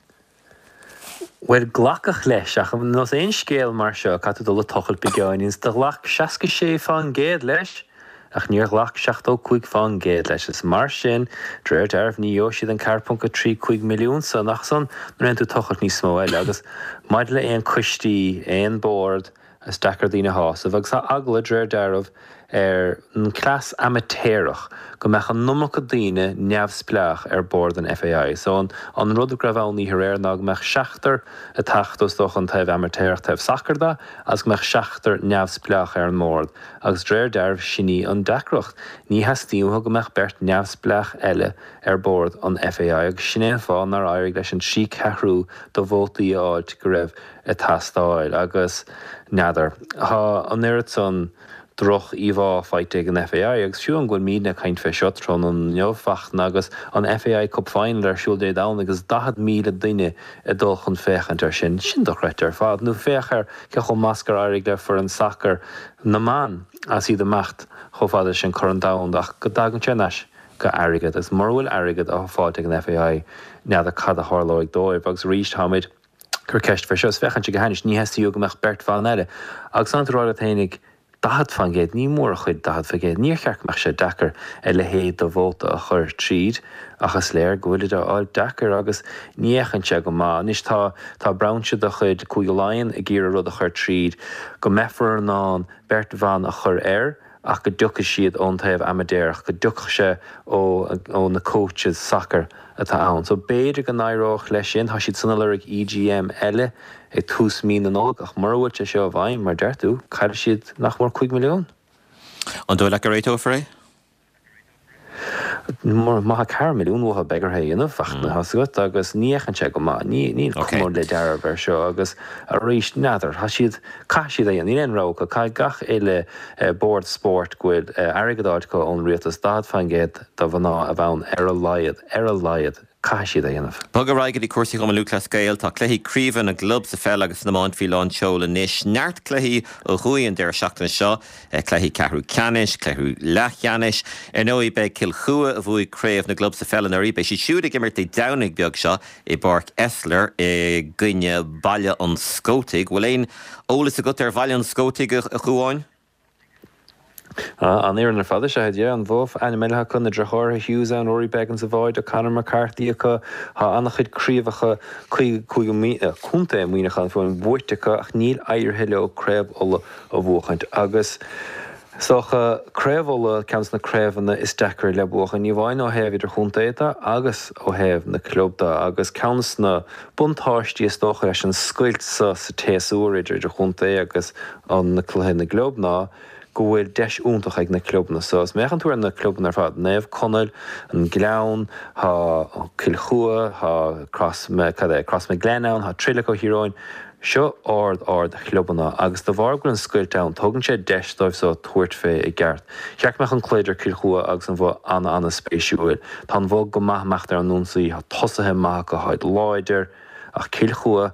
Bhuel, glacadh leis, ach ar nós aon scéal mar seo, caithfidh tú dul ag tochailt beagáinín. Do ghlac seasca sé fán gcéad leis, ach níor ghlac seachtó cúig fán gcéad leis. Is mar sin, de réir dealraimh, ní gheobhaidh siad an ceathair ponc a trí cúig milliún san, ach san, nuair a théann tú ag tochailt níos mó eile. Agus maidir le aon coistí, aon bord, Is deacair daoine a shásamh agus tá eagla, de réir dealraimh, ar an cleas amaitéarach go mbeadh an iomarca daoine neamhspleách ar bord an FAI. So an an rud go raibh ann oíche aréir ná go mbeadh seachtar ag teacht is dócha an taobh amaitéarach, taobh sacair de, agus go mbeadh seachtar neamhspleách ar an mbord agus de réir dealraimh sin í an deacracht. Ní theastaíonn uathu go mbeadh beirt neamhspleách eile ar bord an FAI agus sin é an fáth nár éirigh leis an trí ceathrú de vótaí a fháilt go raibh ag teastáil agus n'fheadar. Tá an oiread san droch íomhá faighte ag an FAI agus fiú an go bhfuil muidne ag caint fé seo tráthnóna inniu, Fachtna, agus an FAI Cup Final ar siúl Dé Domhnaigh agus daichead míle duine ag dul chun féachaint air sin, sin dochreidte ar fad. Nó féach ar cé chomh maith is gur éirigh le foireann sacair na mban agus iad imeacht chomh fada leis an Corn Domhanda ach go dtagann sé anois go airgead agus mura bhfuil airgead á fáilt ag an FAI n'fheadar cad a tharlóidh dóibh agus arís táimid cur ceist fé seo is féachann sé go hainnis, ní theastaíonn go mbeadh beirt bhan eile. Agus an tú ag rá leat fhéinig, daichead faoin gcéad, ní mór a chuid daichead faoin gcéad, níor cheart go mbeadh sé deacair a leithéid de vóta a chur tríd ach is léir go bhfuilid á fháil deacair agus ní fhéachann sé go maith. Anois tá tá brainse de chuid Cúige Laighean ag iarraidh rud a chur tríd go mbeifear in ann beirt bhan a chur air, ach go dtiocfaidh siad ón taobh amaitéarach, go dtiocfadh sé ó ó na coaches sacair atá ann. So b'fhéidir go n-éireodh leis sin. Tá siad san ag lorg EGM eile ag tús mí na Nollag ach mura bhfuil sé seo i bhfeidhm, mar deir tú, caillfidh siad nach mór cúig milliún. An dóigh leat go réiteofar é? Má tá ceathair milliún uathu beidh orthu é a dhéanamh, Fachtna, tá 's agat, agus ní fhéachann sé go maith. Ní, níl cuma le dealramh air seo agus arís, n'fheadar, tá siad, caithfidh siad é a dhéanamh, níl aon rogha acu, caithfidh gach uile bord spóirt go bhfuil airgead á fháilt acu ón rialtas daichead faoin gcéad de mhná a bheith ann ar a laghad, ar a laghad, caithfidh siad é a dhéanamh. Bog ar aghaidh go dtí cúrsaí Chumann Lúthchleas Gael. Tá cluichí craoibhe na gclub sa pheil agus san iomáint faoi lán tseoil anois. Neart cluichí ó thuaidh an deireadh seachtaine seo, cluichí ceathrú ceannais, cluichí leathcheannais. Ar ndóigh beidh Cill Chua, a bhuaigh craobh na gclub sa pheil anuraidh, beidh siad siúd ag imirt Dé Domhnaigh beag seo i bPáirc Esler i gcoinne Baile an Scótaigh. Bhfuil aon eolas agat ar Bhaile an Scótaigh, a Chuáin? An fhoireann ar fad is ea yeah, an Bhoth, ainm eile acu, na deartháireacha Hughes ann, Rory Beggan sa bhád, Conor McCarthy acu, tá an-chuid craobhacha cúige contae Muineachán fiú buaite acu ach níl éirithe leo Craobh Uladh a bhuachaint. Agus is dócha Craobh Uladh ceann de na craobhanna is deacra le buachan, ní amháin ó thaobh idirchontae de agus ó thaobh na club de agus ceann de na buntáistí is dócha leis an scoilt sa sa tséasúr idir idirchontae agus an na cluiche na gclub ná go bhfuil deis iontach ag na clubanna so. Is má fhéachann tú ar na clubanna ar fad, Naomh Conaill, an Gleann, tá Cill Chua, tá Cross, cad é, Crossmaglen ann, tá Trillick ó Thír Eoghain. Seo ard ard chlubanna agus de bharr go bhfuil an scoilt ann, tugann sé deis dóibh so tabhairt fé i gceart. Cheart go mbeadh an cluiche idir Cill Chua agus an Bhoth ana ana spéisiúil. Tá an Bhoth go maith amach ar an ionsaí, tá tosaithe maith acu, táid láidir, ach Cill Chua,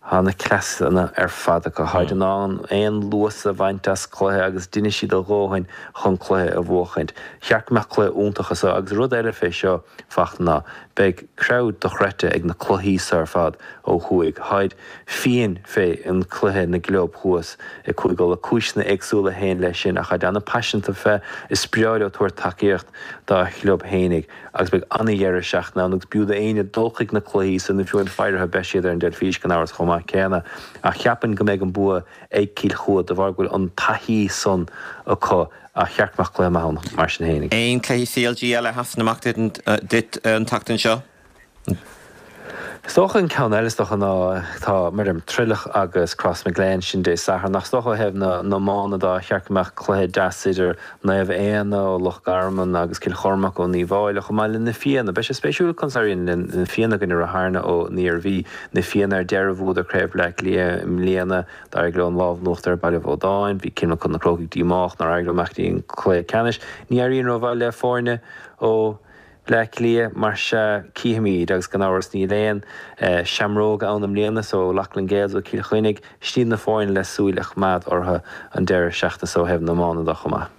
tá na cleasanna ar fad acu, táid in ann aon luas a bhaint as cluiche agus déanfaidh siad a dhóthain chun cluiche a bhuachaint. Cheart go mbeadh cluiche iontach anso agus rud eile fé seo Fachtna ná beidh crowd dochreidte ag na cluichí so ar fad ó thuaidh. Táid fiáin fé an cluiche na gclub thuas i Cúige Uladh. Cúiseanna éagsúla a théann leis sin ach táid ana-paiseanta fé. Is breá leo tabhairt tacaíocht dá chlub fhéinig agus beidh ana-dheireadh seachtaine ann agus b'fhiú d'éinne dul chuig na cluichí san nó fiú amháin faire orthu beidh siad ar an dteilifís gan amhras chomh maith céanna ach cheapfainn go mbeidh an bua ag Cill Chua de bharr go bhfuil an taithí san acu ach cheart go mbeadh cluiche maith ann mar sin fhéinig. Aon cluichí C L G eile a sheasann amach duit an tseachtain seo? Is dócha an ceann eile is dócha ná tá mar em Trillick agus Crossmaglen sin Dé Sathairn ach is dócha ó thaobh na n-iomána de cheart go mbeadh cluiche deas idir Naomh Éanna ó Loch Garman agus Cill Chormaic ón Uíbh Fhailí chomh maith le Na Fianna. Beidh sé spéisiúil conas a éiríonn le Na Fianna i gcoinne Ráth Fhearna ó an Iarmhí. Na Fianna ar deireadh bhuadar Craobh Bhaile Átha Cliath i mbliana. D'éirigh leo an lámh in uachtar ar Baile Bhódáin. Bhí Kilmacud na Crócaigh díomách nár éirigh leo imeacht go dtí an cluiche ceannais. Ní éiríonn rómhaith le foirne ó Bleá Cliath, mar sea, cífimid, agus gan amhras níl aon seamróg ann i mbliana, so Loughlin Gaels ó Cill Chainnigh, sin iad na foirne le súil a choimeád orthu an deireadh seachtaine so ó thaobh na hiomána de chomh maith.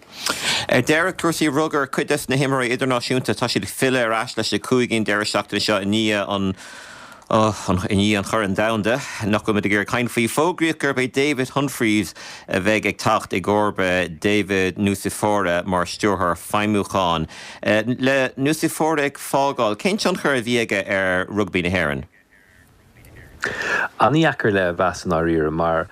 Ar deireadh, cúrsaí rugair, cuid des na himreoirí idirnáisiúnta, tá siad ag filleadh ar ais leis na cúigí an deireadh seachtaine seo i ndiaidh an i ndiaidh an Choirn Domhanda, nach bhfuil muid ag iarraidh caint faoi. Fógraíodh gurb é David Humphreys a bheidh ag teacht i gcomharba David Nucifora mar stiúrthóir feidhmiúcháin. Le Nucifora ag fágáil, cén tionchar a bhí aige ar rugbaí na hÉireann? An-dheacair le mheas i ndáiríre mar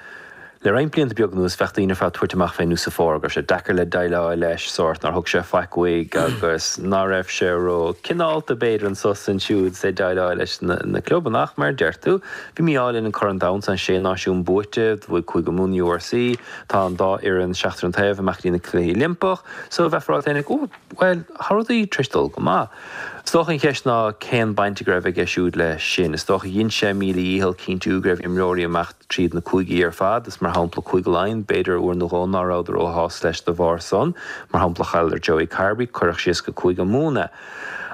le roinnt blianta beag anuas bheadh daoine ar fad tabhairt amach fé Nucifora go raibh sé deacair le déileáil leis, sórt nár thug sé faic uaidh agus ná raibh sé ró cineálta b'fhéidir anso is ansiúd is é ag déileáil leis na na clubanna ach mar a deir tú bhí mí-ádh linn an Corn Domhanda an Sé Náisiún buaite, bhuaigh Cúige Mumhan U R C, tá an dá fhoireann seachtar an taobh amach go dtí na Cluichí Oilimpeach so bheifeá ag rá féinig ó bhuel tá rudaí tar éis dul go maith. Is dócha an cheist ná cén baint a raibh aige siúd leis sin. Is dócha dhein sé a mhíle dhícheall cinntiú go raibh imreoirí amach tríd na cúigí ar fad, is mar shampla Cúige Laighean, b'fhéidir uair nó dhó ná rabhadar róshásta leis de bharr san. Mar shampla chailleadar Joey Carbery, cuireadh síos go Cúige Mumhan é.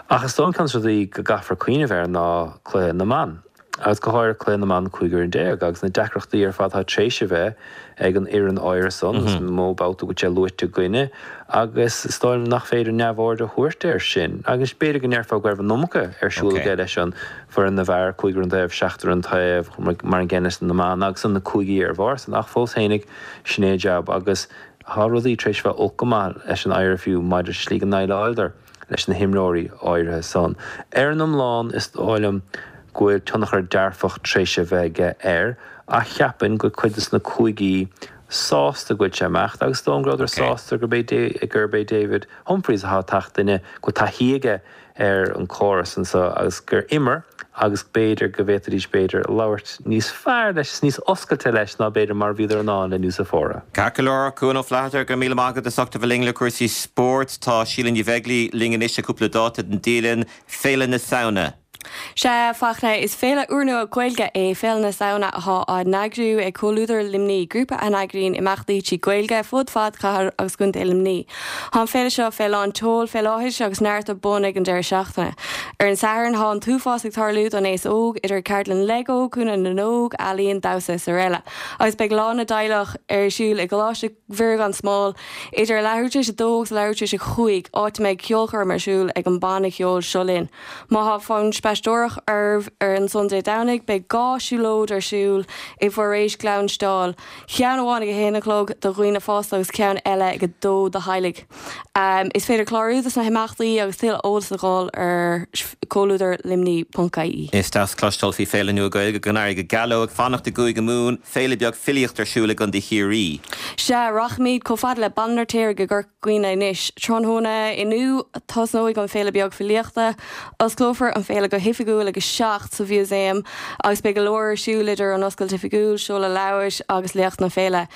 Ach is dóigh an ceann de na rudaí go gcaithfear cuimhneamh air ná cluiche na mban. Agus go háirithe cluiche na mban cúig fhoireann déag agus na deacrachtaí ar fad atá tar éis a bheith ag an fhoireann áirithe san, is mó babhta go bhfuil sé luaite againne agus is dóigh liom nach féidir neamhaird a thabhairt air sin. Agus b'fhéidir go ndéarfá go raibh an iomarca ar siúl aige leis an bhfoireann na bhfear, cúig ar an taobh, seachtar an taobh, mar an gcéanna leis na mban agus an na cúigí ar bharr san ach fós fhéinig sin é a jab agus tá rudaí tar éis bheith olc go maith leis an I R F U maidir leis an slí go ndéileáileadar leis na himreoirí áirithe san. Ar an iomlán is dóigh liom go bhfuil tionchar dearfach tar éis a bheith aige air ach cheapfainn go cuid de na cúigí sásta go bhfuil sé imeacht agus dóigh go rabhadar sásta gurb é gurb é David Humphreys atá teacht duine go taithí aige ar an córas anso agus gur imir agus b'fhéidir go bhféadfaidís b'fhéidir labhairt níos fearr leis níos oscailte leis ná b'fhéidir mar bhíodar in ann le Nucifora. Ceart go leor Cuan Ó Flatharta go míle maith agat as ucht a bheith linn le cúrsaí spóirt. Tá Síle Ní Bheaglaoí linn anois le cúpla dáta den dialann Féile na Samhna. Sea Fachtna is féile úrnua Gaeilge é Féile na Samhna atá á n-eagrú ag Comhluadar Luimnigh, grúpa a eagraíonn imeachtaí trí Ghaeilge fud fad chathair agus contae Luimnigh. Tá an féile seo fé lán tseoil fé láthair agus neart ar bun ag an deireadh seachtaine. Ar an Satharn tá an t-uafás ag tarlú don aos óg idir ceardlann Lego, Cúnamh na nÓg, ealaíon, damhsa is araile. Agus beidh lá na dteaghlach ar siúl i gColáiste Mhuire gan Smál idir leathuair tar éis a dó agus leathuair tar éis a cúig áit a mbeidh ceolchoirm ar siúl ag an banna ceoil Seo Linn. Má tá fonn spaisteoireacht oraibh ar an son Dé Domhnaigh, beidh dhá siúlóid ar siúl i bhforaois Ghleann Stáil, ceann amháin ag a haon a chlog do dhaoine fásta agus ceann eile ag a dó do theaghlaigh. Is féidir clárú dos na himeachtaí agus tuilleadh eolas a fháil ar comhluadar luimní ponc ie. Is deas cloisteáil faoi Féile Nua Gaeilge, go n-éirí go geal leo, ag fanacht i gCúige Mumhan, féile beag filíochta ar siúl i gContae Chiarraí. Sea, rachaimid chomh fada le Baile an Fheirtéaraigh i gCorca Dhuibhne anois. Tráthnóna inniu, tosnóidh an Féile Beag Filíochta. Osclófar an féile go hoifigiúil ag a seacht sa Mhúsaem agus beidh go leor ar siúl idir an oscailt oifigiúil, seoladh leabhair agus léacht na féile.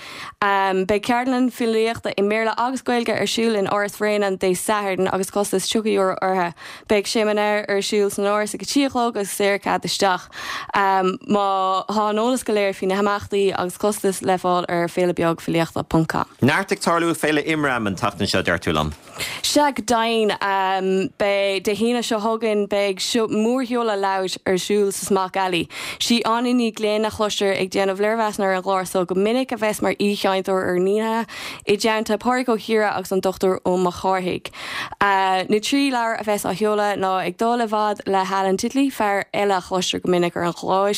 Beidh ceardlann filíochta i mBéarla agus Gaeilge ar siúl in Áras Bhréanainn Dé Sathairn agus costas tríocha euro orthu. Beidh seimineár ar siúl san Áras ag a trí a chlog agus saor cead isteach. Má tá an eolas go léir faoi na himeachtaí agus costais le fáil ar féilebeagfilíochta ponc com. Neart ag tarlú ag Féile Imram an tseachtain seo, deir tú liom. Sea, go deimhin. Beidh, Dé hAoine seo chugainn, beidh mórsheoladh leabhair ar siúl sa Smock Alley. Sí Áine Ní Ghlinn a chloistear ag déanamh léirmheasanna ar an gclár so go minic a bheas mar aoichainteoir ar an oíche, i dteannta Pádraig Ó hEadhra agus an Dochtúir Ó Mac Cárthaigh. Na trí leabhar a bheas á sheoladh ná Ag Dul i bhFad le hAlan Titley, fear eile a chloistear go minic ar an chlár,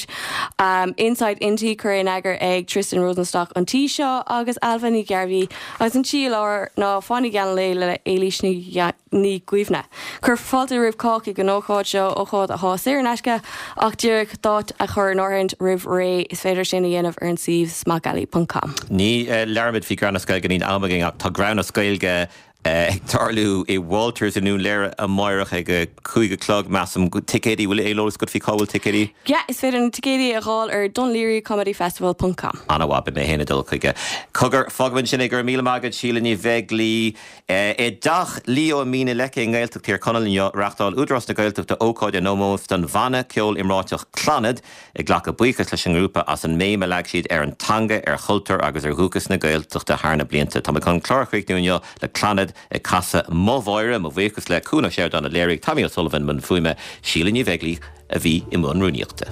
Inside Innti, curtha in eagar ag Tristan Rosenstock an tí seo, agus Ailbhe Ní Ghearbhuigh, agus an tríú leabhar ná Fáinne Geal an Lae le Éilís Ní Dhuibhne. Cuirfear fáilte roimh chách ag an ócáid seo, ócáid atá saor in aisce ach díreach d'áit a chur in áirithint roimh ré. Is féidir sin a dhéanamh ar an suíomh smockalley ponc com. Ní labhróimid faoi Greann as Gaeilge, níl am againn ach tá Greann as Gaeilge ag tarlú i Walters i nDún Laoghaire amáireach ag a cúig a chlog, measaim. Ticéidí, bhfuil aon eolas agat faoi cá bhfuil ticéidí? Yeah, is féidir na ticéidí a fháil ar dunlearycomedyfestival ponc com. Ana-mhaith, beidh mé féin ag dul chuige. Cogar, fágfaimid ansin é, go raibh míle maith agat, Síle Ní Bheaglaoí. I dTeach Leo i Mín na Leice i nGaeltacht Thír Chonaill inniu, reáchtáil Údarás na Gaeltachta ócáid in ómós don bhanna ceoil iomráiteach Clannad, ag glacadh buíochas leis an ngrúpa as an mbéim a leag siad ar an teanga, ar chultúr agus ar dhúchas na Gaeltachta thar na blianta. Tá mé chun an clár a chríochnú inniu le Clannad ag casadh Mo Mháire, mo bhuíochas le Cuan Ó Seireadáin a léirigh, Tommy O'Sullivan i mbun fuaime, Síle Ní Bheaglaoí a bhí i mbun rúnaíochta.